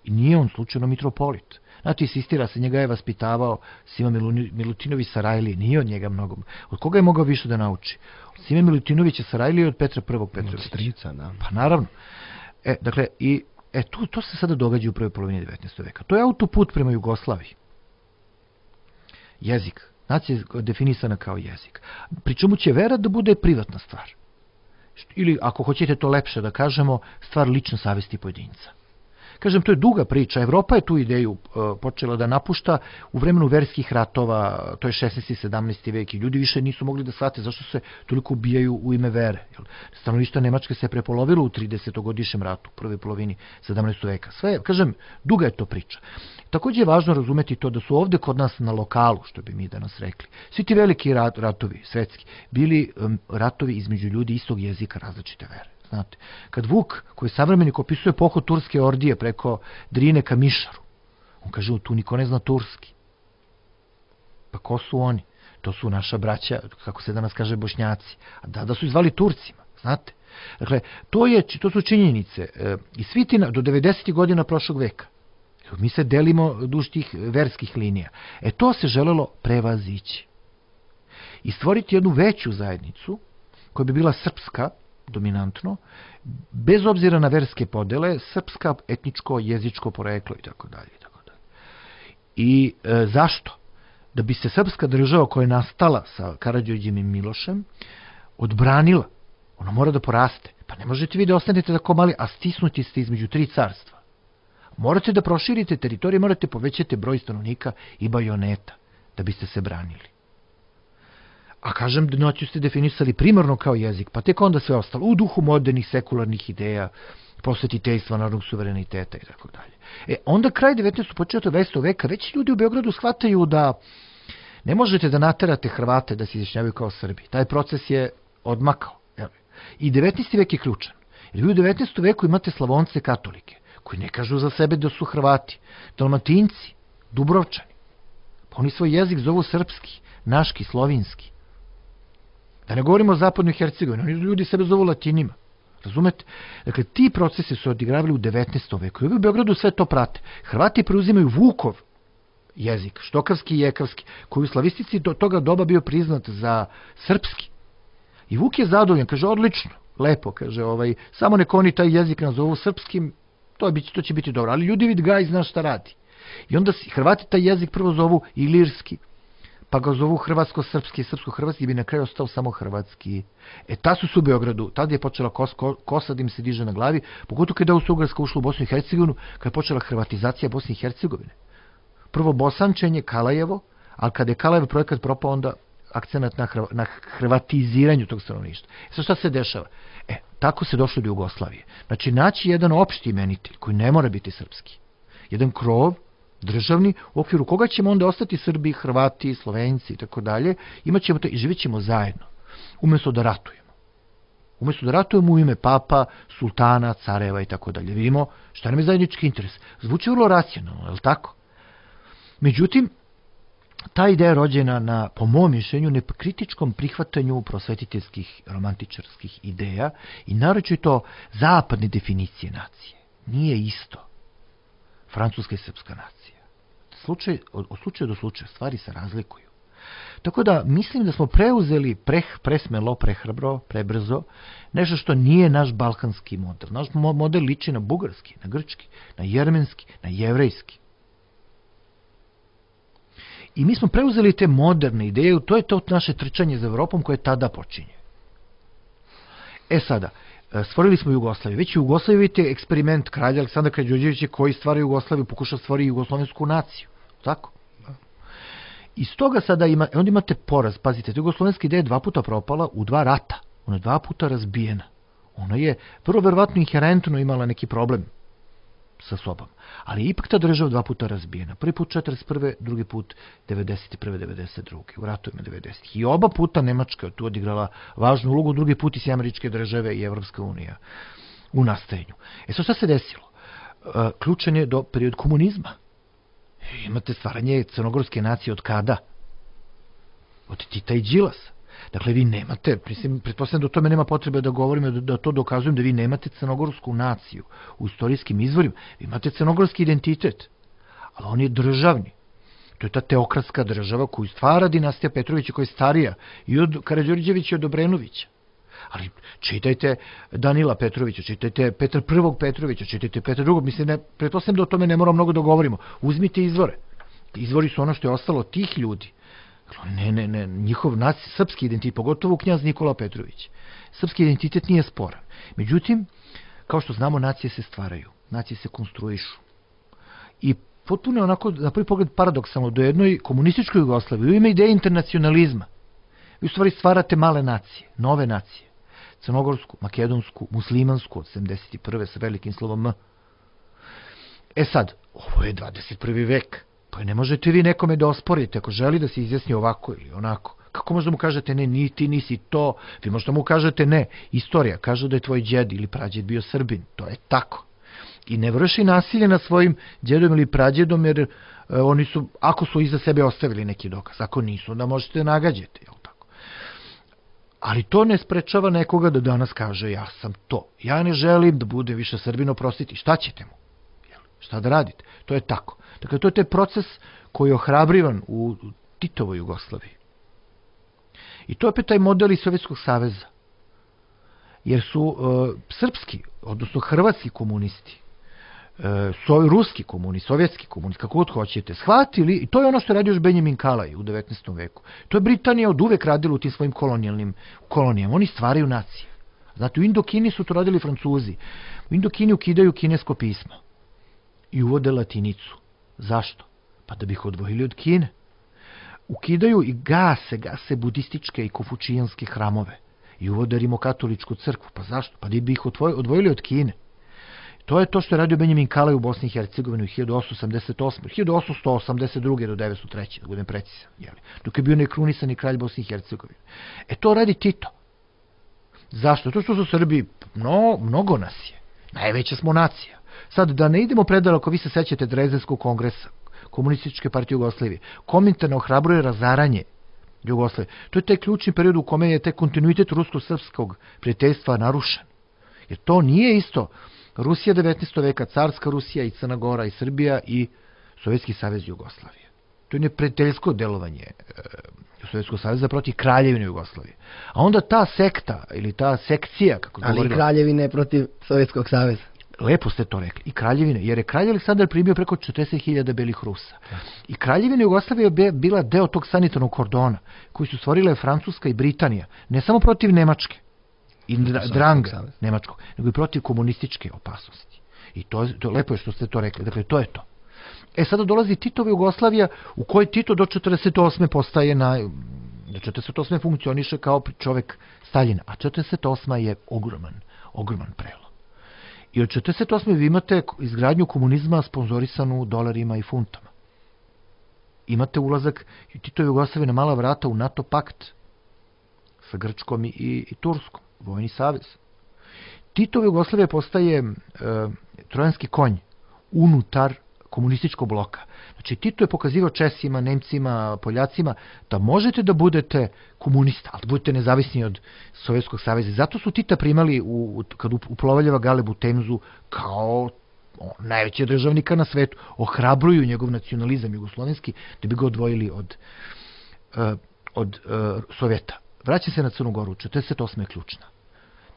I nije on slučajno mitropolit. Znate, insistira se, njega je vaspitavao Sima Milutinović Sarajlije, nije od njega mnogo. Od koga je mogao više da nauči? Od Sime Milutinovića Sarajlije i od Petra prvog. Petrovića. Od strica, da. Pa naravno. E, dakle, i, e, to, to se sada događa u prvoj polovini devetnaestog veka. To je autoput prema Jugoslaviji. jezik. Nacija je definisana kao jezik. Pri čemu će vera da bude privatna stvar. Ili, ako hoćete to lepše da kažemo, stvar lične savesti pojedinca. Kažem, to je duga priča. Evropa je tu ideju uh, počela da napušta u vremenu verskih ratova, to je šesnaesti i sedamnaesti vek, i ljudi više nisu mogli da shvate zašto se toliko ubijaju u ime vere. Stanovništvo Nemačke se prepolovilo u tridesetogodišnjem ratu, u prvoj polovini sedamnaestog veka. Sve, kažem, duga je to priča. Također je važno razumeti to da su ovde kod nas na lokalu, što bi mi danas rekli, svi ti veliki rat, ratovi, svetski, bili um, ratovi između ljudi istog jezika, različite vere. Znate, kad Vuk, koji savremenik opisuje pohod turske ordije preko Drine ka Mišaru, on kaže, tu niko ne zna turski. Pa ko su oni? To su naša braća, kako se danas kaže, Bošnjaci. A da, da su izvali Turcima, znate. Dakle, to, je, to su činjenice. E, I svi ti do devedesetih godina prošlog veka. Mi se delimo duž tih verskih linija. E to se želelo prevazići. I stvoriti jednu veću zajednicu, koja bi bila srpska, dominantno, bez obzira na verske podele, srpska, etničko, jezičko poreklo i tako dalje. I, tako dalje. I e, zašto? Da bi se srpska država koja je nastala sa Karađorđem i Milošem odbranila, ona mora da poraste. Pa ne možete vi da ostanete tako mali, a stisnuti ste između tri carstva. Morate da proširite teritorije, morate povećati broj stanovnika i bajoneta da biste se branili. A kažem, noću ste definisali primarno kao jezik, pa tek onda sve ostalo, u duhu modernih sekularnih ideja, prosvetiteljstva, narodnog suvereniteta i tako dalje. E, onda kraj devetnaestog. početak dvadesetog veka, već ljudi u Beogradu shvataju da ne možete da naterate Hrvate da se izjašnjavaju kao Srbi. Taj proces je odmakao. I devetnaesti. vek je ključan. Jer vi u devetnaestom. veku imate Slavonce katolike, koji ne kažu za sebe da su Hrvati, Dalmatinci, Dubrovčani. Pa oni svoj jezik zovu srpski, naški, slovinski. Da ne govorimo o zapadnoj Hercegovini, oni ljudi sebe zovu latinima. Razumete? Dakle, ti procesi su odigravali u devetnaestom. veku. I u Beogradu sve to prate. Hrvati preuzimaju Vukov jezik, štokavski i jekavski, koji u slavistici do toga doba bio priznat za srpski. I Vuk je zadovoljan, kaže, odlično, lepo, kaže, ovaj, samo nek oni taj jezik nazovu srpskim, to, je, to će biti dobro. Ali ljudi vid Gaj zna šta radi. I onda Hrvati taj jezik prvo zovu ilirski, pa ga zovu hrvatsko-srpski, srpsko-hrvatski, bi na kraju ostao samo hrvatski. E, ta su su u Beogradu, tada je počela kos, kosa da im se diže na glavi, pogotovo kada je Austro-Ugarska ušla u Bosnu i Hercegovinu, kada je počela hrvatizacija Bosne i Hercegovine. Prvo bosančenje, Kalajevo, ali kada je Kalajev projekat propao, onda akcenat na, hrv, na hrvatiziranju tog stanovništva. E, sad šta se dešava? E, tako se došlo do Jugoslavije. Znači, naći jedan opšti imenitelj, koji ne mora biti srpski. Jedan krov, državni, u okviru koga ćemo onda ostati Srbi, Hrvati, Slovenci i tako dalje, imat ćemo to i živjet ćemo zajedno, umjesto da ratujemo. Umjesto da ratujemo u ime papa, sultana, careva i tako dalje. Vidimo šta nam je zajednički interes. Zvuči vrlo racionalno, je li tako? Međutim, ta ideja je rođena na, po mom mišljenju, nekritičkom prihvatanju prosvetiteljskih, romantičarskih ideja i naročito zapadne definicije nacije. Nije isto francuska i srpska nacija. Slučaj, od, od slučaja do slučaja stvari se razlikuju. Tako da mislim da smo preuzeli preh, presmelo, prehrabro, prebrzo, nešto što nije naš balkanski model. Naš model liči na bugarski, na grčki, na jermenski, na jevrejski. I mi smo preuzeli te moderne ideje, to je to naše trčanje za Evropom koje tada počinje. E sada, stvorili smo Jugoslaviju. Već u Jugoslaviji vidite eksperiment kralja Aleksandra Karađorđevića koji stvara Jugoslaviju, pokušao stvoriti jugoslovensku naciju. Tako? Iz toga sada ima, onda imate poraz. Pazite, jugoslovenska ideja je dva puta propala u dva rata. Ona je dva puta razbijena. Ona je prvo verovatno inherentno imala neki problem sa sobom. Ali ipak ta država dva puta razbijena. Prvi put četrdeset prve. drugi put devedeset prve. devedeset druge. U ratovima devedesetih. I oba puta Nemačka je tu odigrala važnu ulogu, drugi put i Američke države i Evropska unija u nastajanju. E sad šta se desilo? E, ključan je do period komunizma. Imate stvaranje crnogorske nacije od kada? Od Tita i Đilasa. Dakle, vi nemate, mislim, pretpostavljam da o tome nema potrebe da govorimo, da, da to dokazujem, da vi nemate crnogorsku naciju u istorijskim izvorima. Vi imate crnogorski identitet, ali on je državni. To je ta teokratska država koju stvara dinastija Petrovića, koja je starija i od Karađorđevića i od Obrenovića. Ali čitajte Danila Petrovića, čitajte Petra prvog Petrovića, čitajte Petra drugog. Mislim, ne, pretpostavljam da o tome ne moramo mnogo da govorimo. Uzmite izvore. Izvori su ono što je ostalo od tih ljudi. Ne, ne, ne, njihov naci, srpski identitet, pogotovo knjaz Nikola Petrović, srpski identitet nije sporan. Međutim, kao što znamo, nacije se stvaraju, nacije se konstruišu. I potpuno onako, na prvi pogled paradoksalno, do jednoj komunističkoj Jugoslaviji, u ime ideje internacionalizma, vi u stvari stvarate male nacije, nove nacije, crnogorsku, makedonsku, muslimansku od sedamdeset prve sa velikim slovom M. E sad, ovo je dvadeset prvi vek, pa ne možete vi nekome da osporite ako želi da se izjasni ovako ili onako. Kako možda mu kažete ne, ni ti nisi to, vi možda mu kažete ne, istorija kaže da je tvoj djed ili prađed bio Srbin, to je tako. I ne vrši nasilje nad svojim djedom ili prađedom, jer e, oni su, ako su iza sebe ostavili neki dokaz, ako nisu, onda možete nagađati, jel tako? Ali to ne sprečava nekoga da danas kaže ja sam to, ja ne želim da bude više Srbin, oprostiti, šta ćete mu? Jel? Šta da radite? To je tako. Dakle, to je taj proces koji je ohrabrivan u Titovoj Jugoslaviji. I to je opet taj model iz Sovjetskog saveza. Jer su uh, srpski, odnosno hrvatski komunisti, uh, so, ruski komunisti, sovjetski komunisti, kako god hoćete, shvatili, i to je ono što je radio još Benjamin Kalaj u devetnaestom veku. To je Britanija od uvek radila u tim svojim kolonijalnim kolonijama. Oni stvaraju nacije. Znate, u Indokini su to radili Francuzi. U Indokini ukidaju kinesko pismo i uvode latinicu. Zašto? Pa da bi ih odvojili od Kine. Ukidaju i gase, gase budističke i konfučijanske hramove i uvode rimokatoličku crkvu. Pa zašto? Pa da bi ih odvojili od Kine. To je to što je radio Benjamin Kalaj u Bosni i Hercegovini u hiljadu osamsto osamdeset osme. hiljadu osamsto osamdeset druge do devetsto treće. Da budem precizan. Jeli? Dok je bio nekrunisani kralj Bosni i Hercegovine. E to radi Tito. Zašto? To što su Srbi, no, mnogo nas je. Najveća smo nacija. Sad, da ne idemo predaleko, vi se sećate Drezdenskog kongresa, Komunističke partije Jugoslavije. Komintern ohrabruje razaranje Jugoslavije. To je taj ključni period u kome je taj kontinuitet rusko-srpskog prijateljstva narušen. Jer to nije isto. Rusija devetnaestog veka, carska Rusija i Crna Gora i Srbija i Sovjetski savez Jugoslavije. To je neprijateljsko delovanje e, Sovjetskog saveza protiv Kraljevine Jugoslavije. A onda ta sekta ili ta sekcija, kako ali govorila, Kraljevine protiv Sovjetskog saveza. Lepo ste to rekli. I Kraljevine, jer je kralj Aleksandar primio preko četrdeset hiljada belih Rusa. I Kraljevina Jugoslavija je bila deo tog sanitarnog kordona koji su stvorile Francuska i Britanija, ne samo protiv Nemačke i dranga Nemačkog, nego i protiv komunističke opasnosti. I to, to lepo je što ste to rekli. Dakle, to je to. E, sada dolazi Titova Jugoslavija u kojoj Tito do četrdeset osme postaje na... do četrdeset osme funkcioniše kao čovek Staljina, a četrdeset osma je ogroman, ogroman prelom. I od četrdeset osme vi imate izgradnju komunizma sponzorisanu dolarima i funtama. Imate ulazak Titove Jugoslavije na mala vrata u NATO pakt sa Grčkom i, i Turskom, vojni savez. Titova Jugoslavija postaje e, trojanski konj unutar komunističkog bloka. Znači, Tito je pokazivao Česima, Nemcima, Poljacima da možete da budete komunista, ali da budete nezavisni od Sovjetskog saveza. Zato su Tita primali, u, kad uplovaljava Galeb u Temzu, kao o, najveći državnika na svetu. Ohrabruju njegov nacionalizam jugoslovenski da bi ga odvojili od, uh, od uh, Sovjeta. Vraća se na Crnu Goru, četrdeset osma je ključna.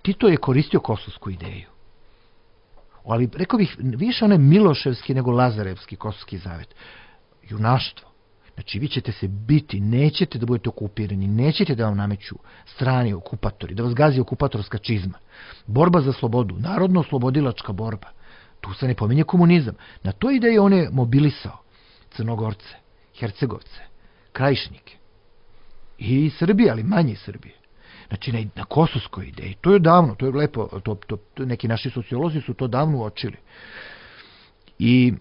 Tito je koristio kosovsku ideju. Ali rekao bih više onaj Miloševski nego Lazarevski kosovski zavet. Junaštvo. Znači vi ćete se biti, nećete da budete okupirani, nećete da vam nameću strani okupatori, da vas gazi okupatorska čizma. Borba za slobodu, narodno-oslobodilačka borba. Tu se ne pominje komunizam. Na toj ideji on je mobilisao Crnogorce, Hercegovce, Krajišnike i Srbije, ali manje Srbije. Znači na, na kosovskoj ideji. To je davno, to je lepo, to, to, to, neki naši sociolozi su to davno uočili. I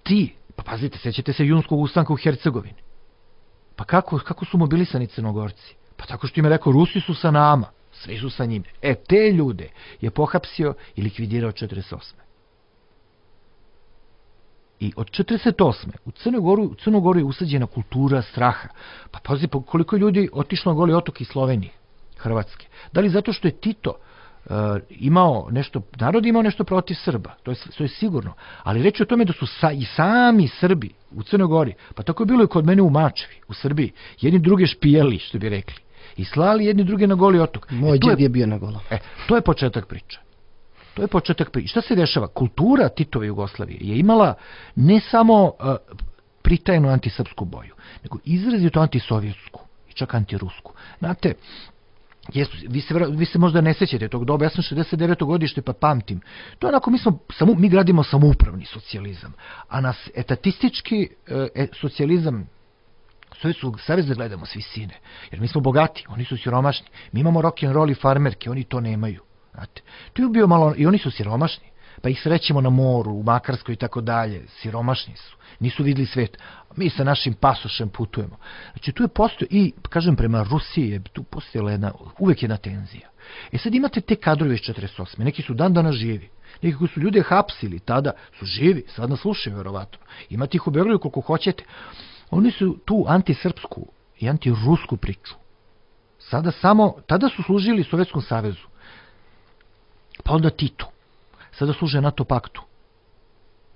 ti, pa pazite, sećate se junskog ustanka u Hercegovini. Pa kako, kako su mobilisani Crnogorci? Pa tako što im je rekao, Rusi su sa nama, svi su sa njime. E, te ljude je pohapsio i likvidirao četrdeset osme. I od četrdeset osme u Crnoj Gori, u Crnoj Gori je usađena kultura straha. Pa pazi, pa koliko ljudi otišlo na Goli otok iz Slovenije, Hrvatske. Da li zato što je Tito uh, imao nešto, narod imao nešto protiv Srba, to je, to je sigurno. Ali reći o tome da su sa, i sami Srbi u Crnoj Gori, pa tako je bilo i kod mene u Mačevi, u Srbiji, jedni druge špijali, što bi rekli, i slali jedni druge na Goli otok. Moj djed je, je bio na Golom. E, to je početak priče. To je početak priče. Šta se dešava? Kultura Titove Jugoslavije je imala ne samo uh, pritajenu antisrpsku boju, nego izrazito antisovjetsku i čak antirusku. Znate, jesu, vi, se, vi se možda ne sećate tog doba, ja sam šezdeset deveto godište pa pamtim. To je onako, mi, smo, samu, mi gradimo samoupravni socijalizam, a nas etatistički e, socijalizam Sovjetskog saveza gledamo s visine, jer mi smo bogati, oni su siromašni. Mi imamo rock'n'roll i farmerke, oni to nemaju. Znate, to je bio malo, i oni su siromašni, pa ih srećemo na moru, u Makarskoj i tako dalje, siromašni su, nisu vidjeli svet. Mi sa našim pasošem putujemo. Znači, tu je postoje, i, kažem, prema Rusiji je tu postojala jedna, uvek jedna tenzija. E sad imate te kadrove iz četrdeset osme, neki su dan dana živi, neki koji su ljude hapsili, tada su živi, sad nas slušaju, verovatno. Imate ih u Beogradu koliko hoćete. Oni su tu antisrpsku i antirusku priču. Sada samo, tada su služili Sovjetskom savezu, pa onda Titu, sada služe NATO paktu.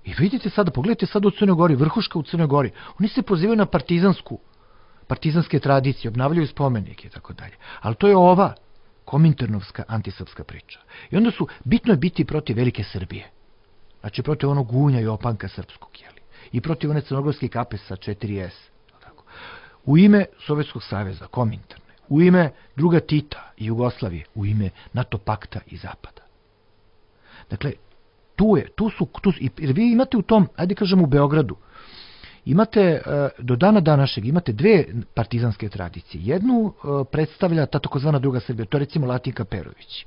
I vidite sada, pogledajte sada u Crnoj Gori, vrhuška u Crnoj Gori, oni se pozivaju na partizansku, partizanske tradicije, obnavljaju spomenike i tako dalje. Ali to je ova kominternovska antisrpska priča. I onda su, bitno je biti protiv velike Srbije. Znači protiv onog gunja i opanka srpskog, jeli. I protiv one crnogorske kape sa četiri es. U ime Sovjetskog saveza, kominterne, u ime druga Tita i Jugoslavije, u ime NATO pakta i Zapada. Dakle, tu je, tu su, tu su, jer vi imate u tom, ajde kažem u Beogradu, imate, do dana današnjeg, imate dve partizanske tradicije. Jednu predstavlja ta takozvana druga Srbija, to je recimo Latinka Perović.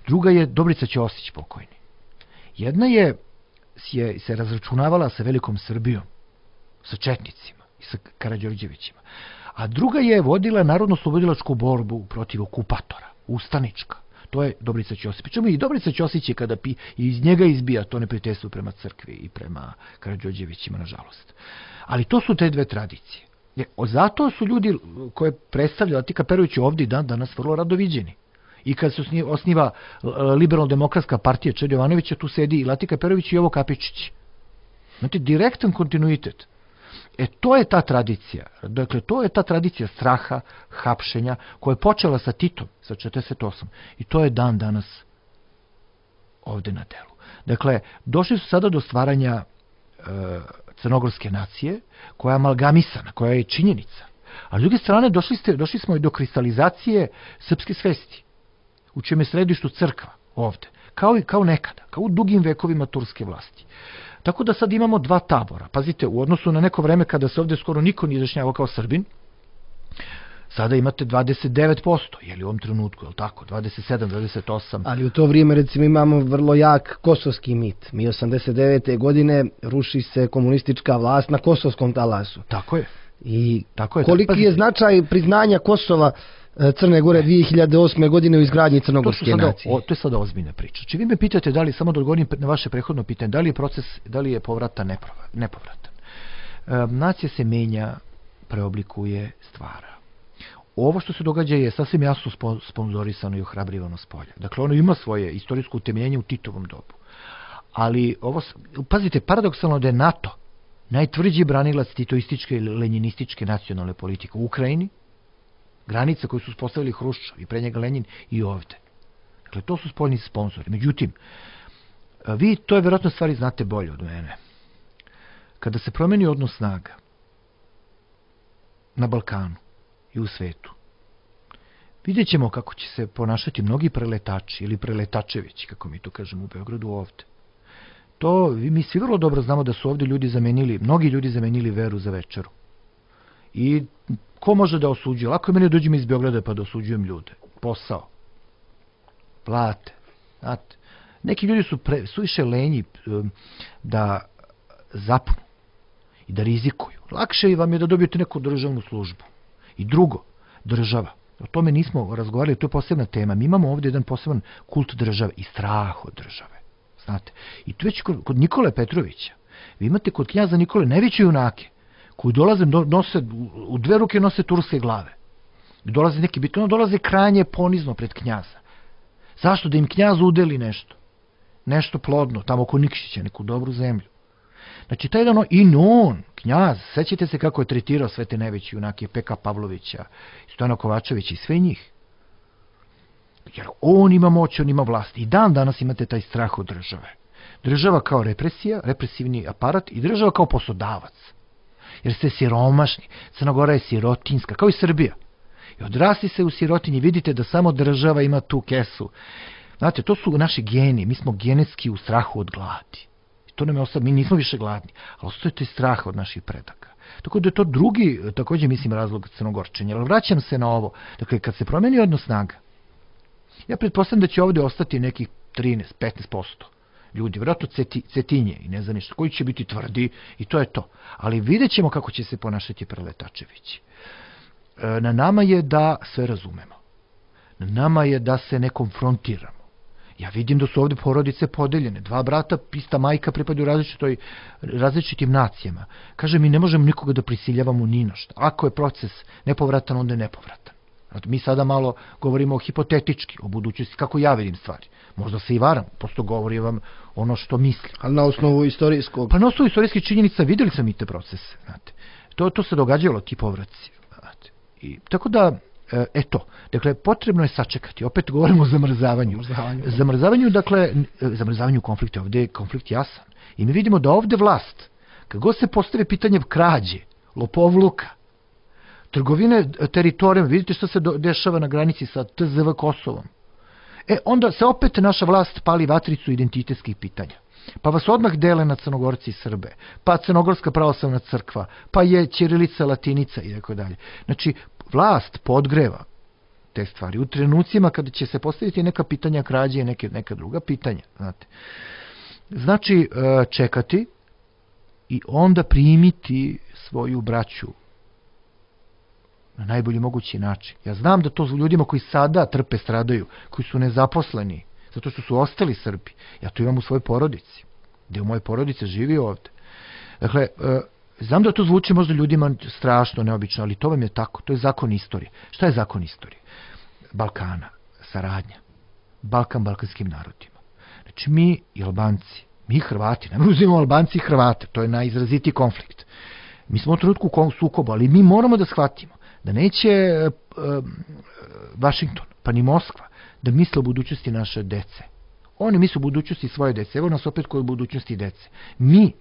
Druga je Dobrica Ćosić pokojni. Jedna je, je se razračunavala sa velikom Srbijom, sa četnicima i sa Karađorđevićima. A druga je vodila narodno-slobodilačku borbu protiv okupatora, ustanička. To je Dobrica Ćosić. Pričemu i Dobrica Ćosić je kada pi, iz njega izbija to neprijateljstvo prema crkvi i prema Karađorđevićima, nažalost. Ali to su te dve tradicije. Zato su ljudi koje predstavlja Latika Perović ovdje dan danas vrlo rado viđeni. I kad se osniva liberalno-demokratska partija Čeda Jovanovića, tu sedi i Latika Perović i Jovo Kapičić. Znate, direktan kontinuitet. E, to je ta tradicija. Dakle, to je ta tradicija straha, hapšenja, koja je počela sa Titom, sa četrdeset osam. I to je dan danas ovde na delu. Dakle, došli su sada do stvaranja e, crnogorske nacije, koja je amalgamisana, koja je činjenica. A s druge strane, došli, ste, došli smo i do kristalizacije srpske svesti, u čijem je središtu crkva ovde, kao i kao nekada, kao u dugim vekovima turske vlasti. Tako da sad imamo dva tabora. Pazite, u odnosu na neko vreme kada se ovdje skoro niko nije izjašnjavao kao Srbin, sada imate dvadeset devet posto, je li u ovom trenutku, je li tako, dvadeset sedam, dvadeset osam. Ali u to vrijeme, recimo, imamo vrlo jak kosovski mit. Mi osamdeset devete godine ruši se komunistička vlast na kosovskom talasu. Tako je. I tako je, koliki tako, je značaj priznanja Kosova Crne Gore dvije hiljade osme. godine u izgradnji crnogorske to sada, nacije? O, to je sada ozbiljna priča. Či vi me pitate da li, samo da odgovorim na vaše prethodno pitanje, da li je proces, da li je povrata nepovratan. E, nacija se menja, preoblikuje, stvara. Ovo što se događa je sasvim jasno sponzorisano i ohrabrivano s polja. Dakle, ono ima svoje istorijsko utemeljenje u Titovom dobu. Ali, ovo, pazite, paradoksalno da je NATO najtvrđi branilac titoističke ili lenjinističke nacionalne politike u Ukrajini, granice koje su uspostavili Hruščov i pre njega Lenjin i ovde. Dakle, to su spoljni sponzori. Međutim, vi to je vjerojatno stvari znate bolje od mene. Kada se promeni odnos snaga na Balkanu i u svetu, vidjet ćemo kako će se ponašati mnogi preletači ili preletačevići, kako mi to kažemo u Beogradu ovde. To, mi svi vrlo dobro znamo da su ovde ljudi zamenili, mnogi ljudi zamenili veru za večeru. I ko može da osuđuje? Lako je meni dođem iz Beograda pa da osuđujem ljude. Posao. Plate. Znate, neki ljudi su, pre, su više lenji um, da zapnu i da rizikuju. Lakše vam je da dobijete neku državnu službu. I drugo, država. O tome nismo razgovarali, to je posebna tema. Mi imamo ovdje jedan poseban kult države i strah od države. Znate, i tu već kod, kod Nikole Petrovića, vi imate kod knjaza Nikole najveće junake, koji dolaze, nose, u dve ruke nose turske glave. Dolaze neki bitno, dolaze krajnje ponizno pred knjaza. Zašto? Da im knjaz udeli nešto. Nešto plodno, tamo oko Nikšića, neku dobru zemlju. Znači, taj jedan, i on, knjaz, sećate se kako je tretirao sve te najveće junake, Peka Pavlovića, Stojana Kovačevića i sve njih. Jer on ima moć, on ima vlast. I dan danas imate taj strah od države. Država kao represija, represivni aparat i država kao poslodavac. jer ste siromašni. Crna Gora je sirotinska, kao i Srbija. I odrasti se u sirotinji, vidite da samo država ima tu kesu. Znate, to su naši geni, mi smo genetski u strahu od gladi. I to nam je ostalo, mi nismo više gladni, ali ostaje to strah od naših predaka. Tako da je to drugi, također mislim, razlog crnogorčenja. Ali vraćam se na ovo. Dakle, kad se promeni odnos snaga, ja pretpostavljam da će ovdje ostati nekih trinaest do petnaest posto ljudi, vjerojatno ceti, cetinje i ne znam ništa, koji će biti tvrdi i to je to. Ali vidjet ćemo kako će se ponašati Preletačevići. Na nama je da sve razumemo. Na nama je da se ne konfrontiramo. Ja vidim da su ovdje porodice podeljene. Dva brata, ista majka pripadaju različitoj, različitim nacijama. Kaže, mi ne možemo nikoga da prisiljavamo ni na šta. Ako je proces nepovratan, onda je nepovratan. Mi sada malo govorimo o hipotetički, o budućnosti, kako ja vidim stvari. Možda se i varam, prosto govorim vam ono što mislim. Ali na osnovu istorijskog... Pa na osnovu istorijskih činjenica vidjeli sam i te procese. Znate. To, to se događalo, ti povraci. Znate. I, tako da, eto, dakle, potrebno je sačekati. Opet govorimo o zamrzavanju. Zamrzavanju, zamrzavanju dakle, zamrzavanju konflikta. Ovdje je konflikt jasan. I mi vidimo da ovdje vlast, kad god se postave pitanje krađe, lopovluka, trgovine teritorijom, vidite što se dešava na granici sa T Z V Kosovom. E, onda se opet naša vlast pali vatricu identitetskih pitanja. Pa vas odmah dele na Crnogorci i Srbe, pa Crnogorska pravoslavna crkva, pa je ćirilica, latinica i tako dalje. Znači, vlast podgreva te stvari u trenucima kada će se postaviti neka pitanja krađe i neke, neka druga pitanja. Znate. Znači, čekati i onda primiti svoju braću na najbolji mogući način. Ja znam da to ljudima koji sada trpe, stradaju, koji su nezaposleni, zato što su ostali Srbi. Ja to imam u svojoj porodici. Gde u moje porodice živi ovde. Dakle, znam da to zvuči možda ljudima strašno, neobično, ali to vam je tako. To je zakon istorije. Šta je zakon istorije? Balkana, saradnja. Balkan balkanskim narodima. Znači mi i Albanci, mi Hrvati, ne uzimamo Albanci i Hrvate, to je najizrazitiji konflikt. Mi smo u trenutku u sukobu, ali mi moramo da shvatimo da neće e, e, Vašington, pa ni Moskva, da misle o budućnosti naše dece. Oni misle o budućnosti svoje dece. Evo nas opet kod budućnosti dece. Mi,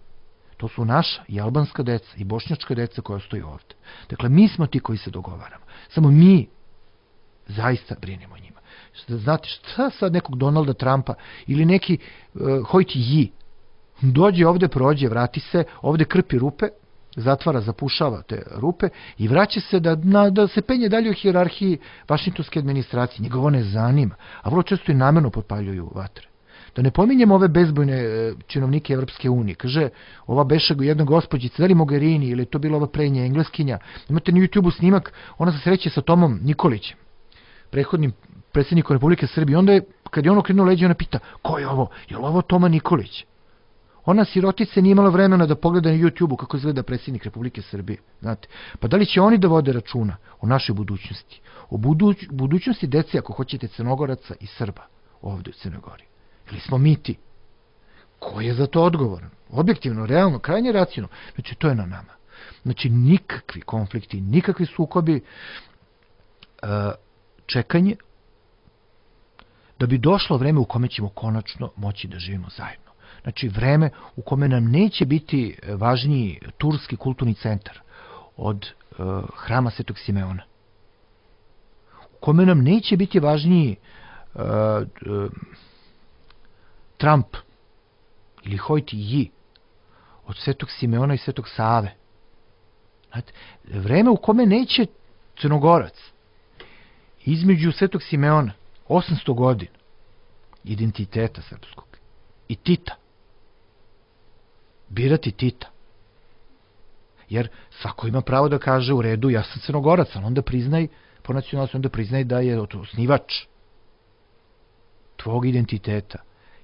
to su naša i albanska deca i bošnjačka deca koja stoji ovdje. Dakle, mi smo ti koji se dogovaramo. Samo mi zaista brinemo o njima. Znate, šta sad nekog Donalda Trumpa ili neki uh, Hojti Ji dođe ovdje, prođe, vrati se, ovdje krpi rupe, zatvara, zapušava te rupe i vraća se da, na, da se penje dalje u hijerarhiji vašingtonske administracije. Njega ovo ne zanima, a vrlo često i namjerno potpaljuju vatre. Da ne pominjemo ove bezbojne činovnike Evropske unije. Kaže, ova beša jedna gospođica, da li Mogherini, ili je to bila ova prednja engleskinja, imate na YouTube-u snimak, ona se sreće sa Tomom Nikolićem, prethodnim predsjednikom Republike Srbije. Onda je, kad je ono krenuo leđe, ona pita, ko je ovo? Je li ovo Toma Nikolić? Ona sirotica nije imala vremena da pogleda na YouTube-u kako izgleda predsjednik Republike Srbije. Znate, pa da li će oni da vode računa o našoj budućnosti? O buduć, budućnosti dece, ako hoćete, Crnogoraca i Srba ovdje u Crnoj Gori. Ili smo mi ti? Ko je za to odgovoran? Objektivno, realno, krajnje racionalno. Znači, to je na nama. Znači, nikakvi konflikti, nikakvi sukobi, čekanje, da bi došlo vreme u kome ćemo konačno moći da živimo zajedno. Znači, vreme u kome nam neće biti važniji turski kulturni centar od uh, hrama Svetog Simeona. U kome nam neće biti važniji uh, uh, Trump ili Hojti Ji od Svetog Simeona i Svetog Save. Znate, vreme u kome neće Crnogorac između Svetog Simeona osamsto godina identiteta srpskog i Tita birati Tita. Jer svako ima pravo da kaže u redu, ja sam Crnogorac, ali onda priznaj, po nacionalnosti, onda priznaj da je osnivač tvog identiteta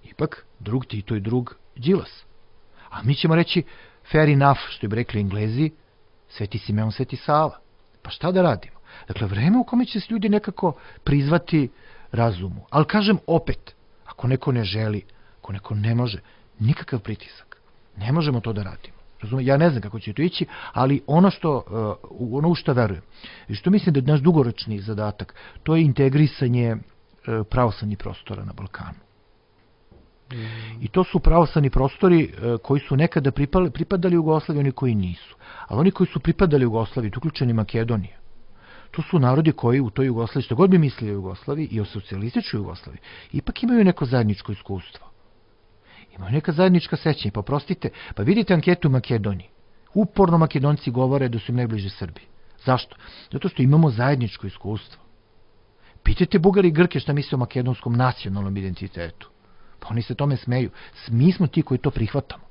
ipak drug Tito i drug Đilas. A mi ćemo reći fair enough, što bi rekli Englezi, Sveti Simeon, Sveti Sava. Pa šta da radimo? Dakle, vreme u kome će se ljudi nekako prizvati razumu. Ali kažem opet, ako neko ne želi, ako neko ne može, nikakav pritisak. Ne možemo to da radimo. Razumem? Ja ne znam kako će to ići, ali ono što, uh, ono u što verujem i što mislim da je naš dugoročni zadatak, to je integrisanje uh, pravoslavnih prostora na Balkanu. I to su pravoslavni prostori koji su nekada pripadali Jugoslaviji, oni koji nisu. Ali oni koji su pripadali Jugoslaviji, uključeni Makedonija, to su narodi koji u toj Jugoslaviji, što god bi mislili o Jugoslaviji i o socijalističkoj Jugoslaviji, ipak imaju neko zajedničko iskustvo. Imaju neka zajednička sećanja. Pa prostite, pa vidite anketu u Makedoniji. Uporno Makedonci govore da su im najbliže Srbi. Zašto? Zato što imamo zajedničko iskustvo. Pitajte Bugari i Grke šta misle o makedonskom nacionalnom identitetu. Pa oni se tome smeju. Mi smo ti koji to prihvatamo.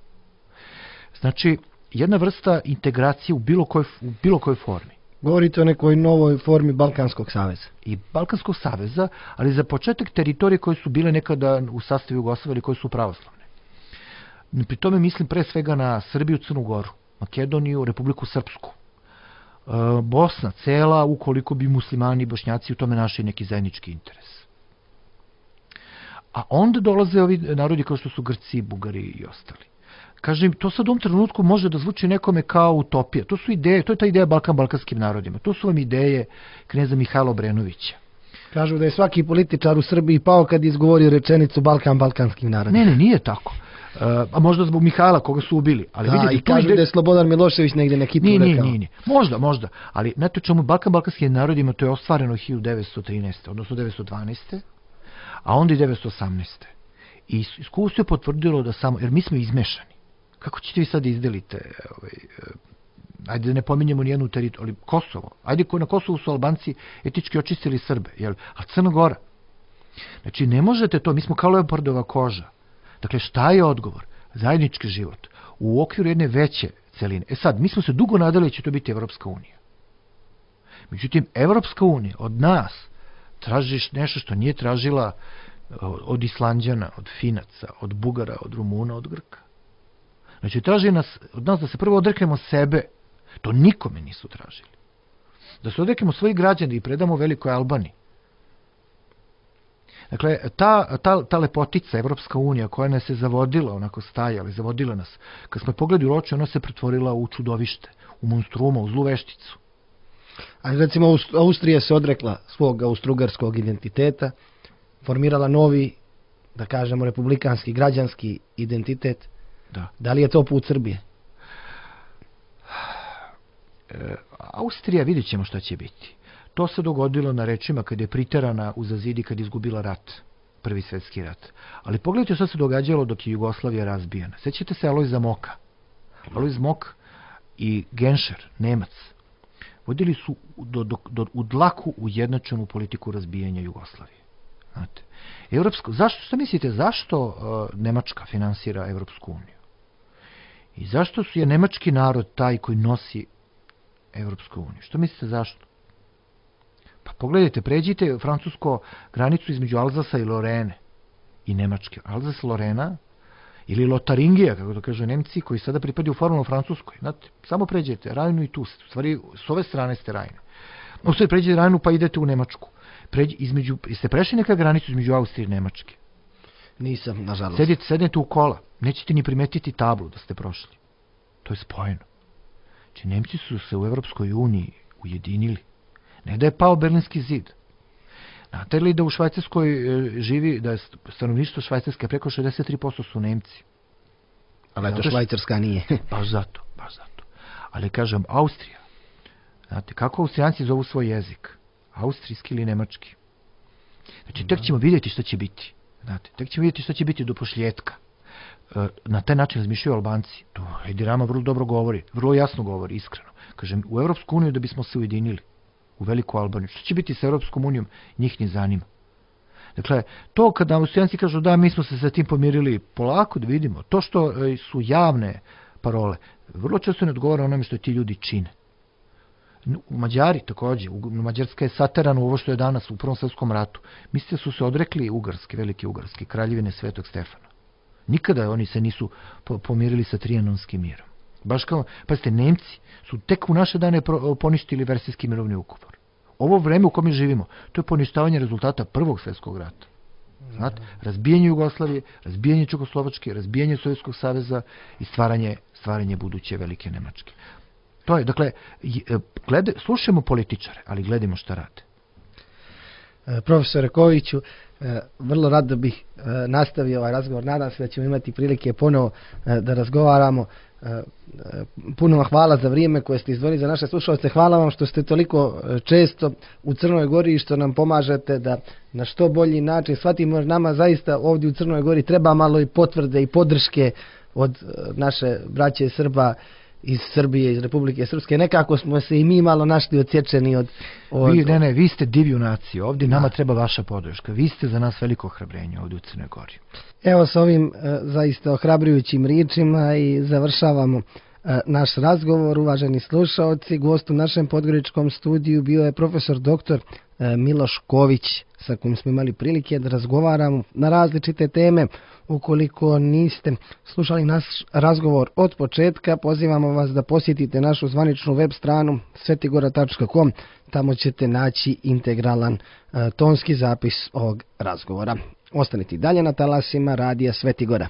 Znači, jedna vrsta integracije u bilo kojoj, u bilo kojoj formi. Govorite o nekoj novoj formi Balkanskog saveza. I Balkanskog saveza, ali za početak teritorije koje su bile nekada u sastavu Jugoslavije ili koje su pravoslavne. Pri tome mislim pre svega na Srbiju, Crnu Goru, Makedoniju, Republiku Srpsku. E, Bosna cela, ukoliko bi muslimani i bošnjaci u tome našli neki zajednički interes. A onda dolaze ovi narodi kao što su Grci, Bugari i ostali. Kažem, to sad u ovom trenutku može da zvuči nekome kao utopija. To su ideje, to je ta ideja Balkan balkanskim narodima. To su vam ideje kneza Mihajla Obrenovića. Kažu da je svaki političar u Srbiji pao kad izgovorio rečenicu Balkan balkanskim narodima. Ne, ne, nije tako. Uh, a možda zbog Mihajla koga su ubili. Ali da, vidite, i kažu ide... da je Slobodan Milošević negdje na Kipru rekao. Nije, nije, nije. Možda, možda. Ali znate čemu Balkan balkanskim narodima to je ostvareno hiljadu devetsto trinaeste. odnosno devetsto dvanaeste. A onda i devetsto osamnaeste. I iskustvo je potvrdilo da samo, jer mi smo izmešani. Kako ćete vi sad izdelite, ovaj, ajde da ne pominjemo nijednu teritoriju, ali Kosovo, ajde na Kosovu su Albanci etički očistili Srbe, jel? A Crna Gora. Znači ne možete to, mi smo kao leopardova koža. Dakle, šta je odgovor? Zajednički život u okviru jedne veće celine. E sad, mi smo se dugo nadali da će to biti Evropska unija. Međutim, Evropska unija od nas traži nešto što nije tražila od Islanđana, od Finaca, od Bugara, od Rumuna, od Grka. Znači, traži nas, od nas da se prvo odreknemo sebe. To nikome nisu tražili. Da se odreknemo svojih građana i predamo Velikoj Albaniji. Dakle, ta, ta, ta lepotica, Evropska unija, koja nas je zavodila, onako stajala, zavodila nas, kad smo pogledali u oči, ona se pretvorila u čudovište, u monstruma, u zlu vešticu. A recimo, Austrija se odrekla svog austrougarskog identiteta, formirala novi, da kažemo, republikanski, građanski identitet. Da. Da li je to put Srbije? E, Austrija, vidjet ćemo šta će biti. To se dogodilo na rečima kad je priterana u zazidi kad je izgubila rat, prvi svjetski rat. Ali pogledajte šta se događalo dok je Jugoslavija razbijena. Sjećate se Alojza Moka. Alojz Mok i Genscher, Nemac, vodili su do, do, do, u dlaku ujednačenu politiku razbijanja Jugoslavije. Znate, Evropsko, zašto, šta mislite, zašto uh, Nemačka finansira Evropsku uniju? I zašto su je nemački narod taj koji nosi Evropsku uniju? Što mislite zašto? Pa pogledajte, pređite francusko granicu između Alzasa i Lorene i Nemačke. Alzas, Lorena ili Lotaringija, kako to kažu Nemci, koji sada pripadaju formalno Francuskoj. Znate, samo pređete Rajnu i tu. U stvari, s ove strane ste Rajne. U stvari, pređete Rajnu pa idete u Nemačku. Pređi, između, jeste prešli neka granicu između Austrije i Nemačke? Nisam, nažalost. Sedite, sednete u kola. Nećete ni primetiti tablu da ste prošli. To je spojeno. Znači, Nemci su se u Evropskoj uniji ujedinili. Ne da je pao Berlinski zid. Znate li da u Švajcarskoj živi, da je stanovništvo Švajcarske preko šezdeset tri posto su Nemci? Ali to Švajcarska nije. Baš zato, baš zato. Ali kažem, Austrija. Znate, kako Austrijanci zovu svoj jezik? Austrijski ili nemački? Znači, tek ćemo vidjeti šta će biti. Znate, tek ćemo vidjeti šta će biti do pošljetka. Na taj način razmišljaju Albanci. To Edi Rama vrlo dobro govori, vrlo jasno govori, iskreno. Kažem, u Evropsku uniju da bismo se ujedinili. U Veliku Albaniju. Što će biti sa Europskom unijom, njih ne zanima. Dakle, to kada Austrijanci kažu da mi smo se sa tim pomirili, polako da vidimo. To što su javne parole, vrlo često ne odgovara onome što ti ljudi čine. U Mađari također, Mađarska je saterana u ovo što je danas u Prvom svjetskom ratu. Mislite su se odrekli Ugarske, velike Ugarske, kraljevine Svetog Stefana. Nikada oni se nisu pomirili sa Trijanonskim mirom. Baš kao, pazite, Nemci su tek u naše dane poništili Versajski mirovni ugovor. Ovo vreme u kome živimo, to je poništavanje rezultata Prvog svjetskog rata. Znate, razbijanje Jugoslavije, razbijanje Čekoslovačke, razbijanje Sovjetskog saveza i stvaranje, stvaranje buduće velike Nemačke. To je, dakle, glede, slušajmo političare, ali gledimo šta rade. Profesore Koviću, vrlo rado bih nastavio ovaj razgovor. Nadam se da ćemo imati prilike ponovo da razgovaramo. Puno vam hvala za vrijeme koje ste izdvojili za naše slušalce. Hvala vam što ste toliko često u Crnoj Gori i što nam pomažete da na što bolji način shvatimo. Nama zaista ovdje u Crnoj Gori treba malo i potvrde i podrške od naše braće Srba iz Srbije, iz Republike Srpske. Nekako smo se i mi malo našli odsječeni od... od... Vi, ne, ne, vi ste divlju naciju. Ovdje da. Nama treba vaša podrška. Vi ste za nas veliko ohrabrenje ovdje u Crnoj Gori. Evo s ovim e, zaista ohrabrujućim riječima i završavamo e, naš razgovor. Uvaženi slušaoci, gost u našem podgoričkom studiju bio je profesor doktor e, Miloš Ković, sa kojim smo imali prilike da razgovaramo na različite teme. Ukoliko niste slušali naš razgovor od početka, pozivamo vas da posjetite našu zvaničnu web stranu svetigora tačka com. Tamo ćete naći integralan e, tonski zapis ovog razgovora. Ostanite dalje na talasima Radija Svetigora.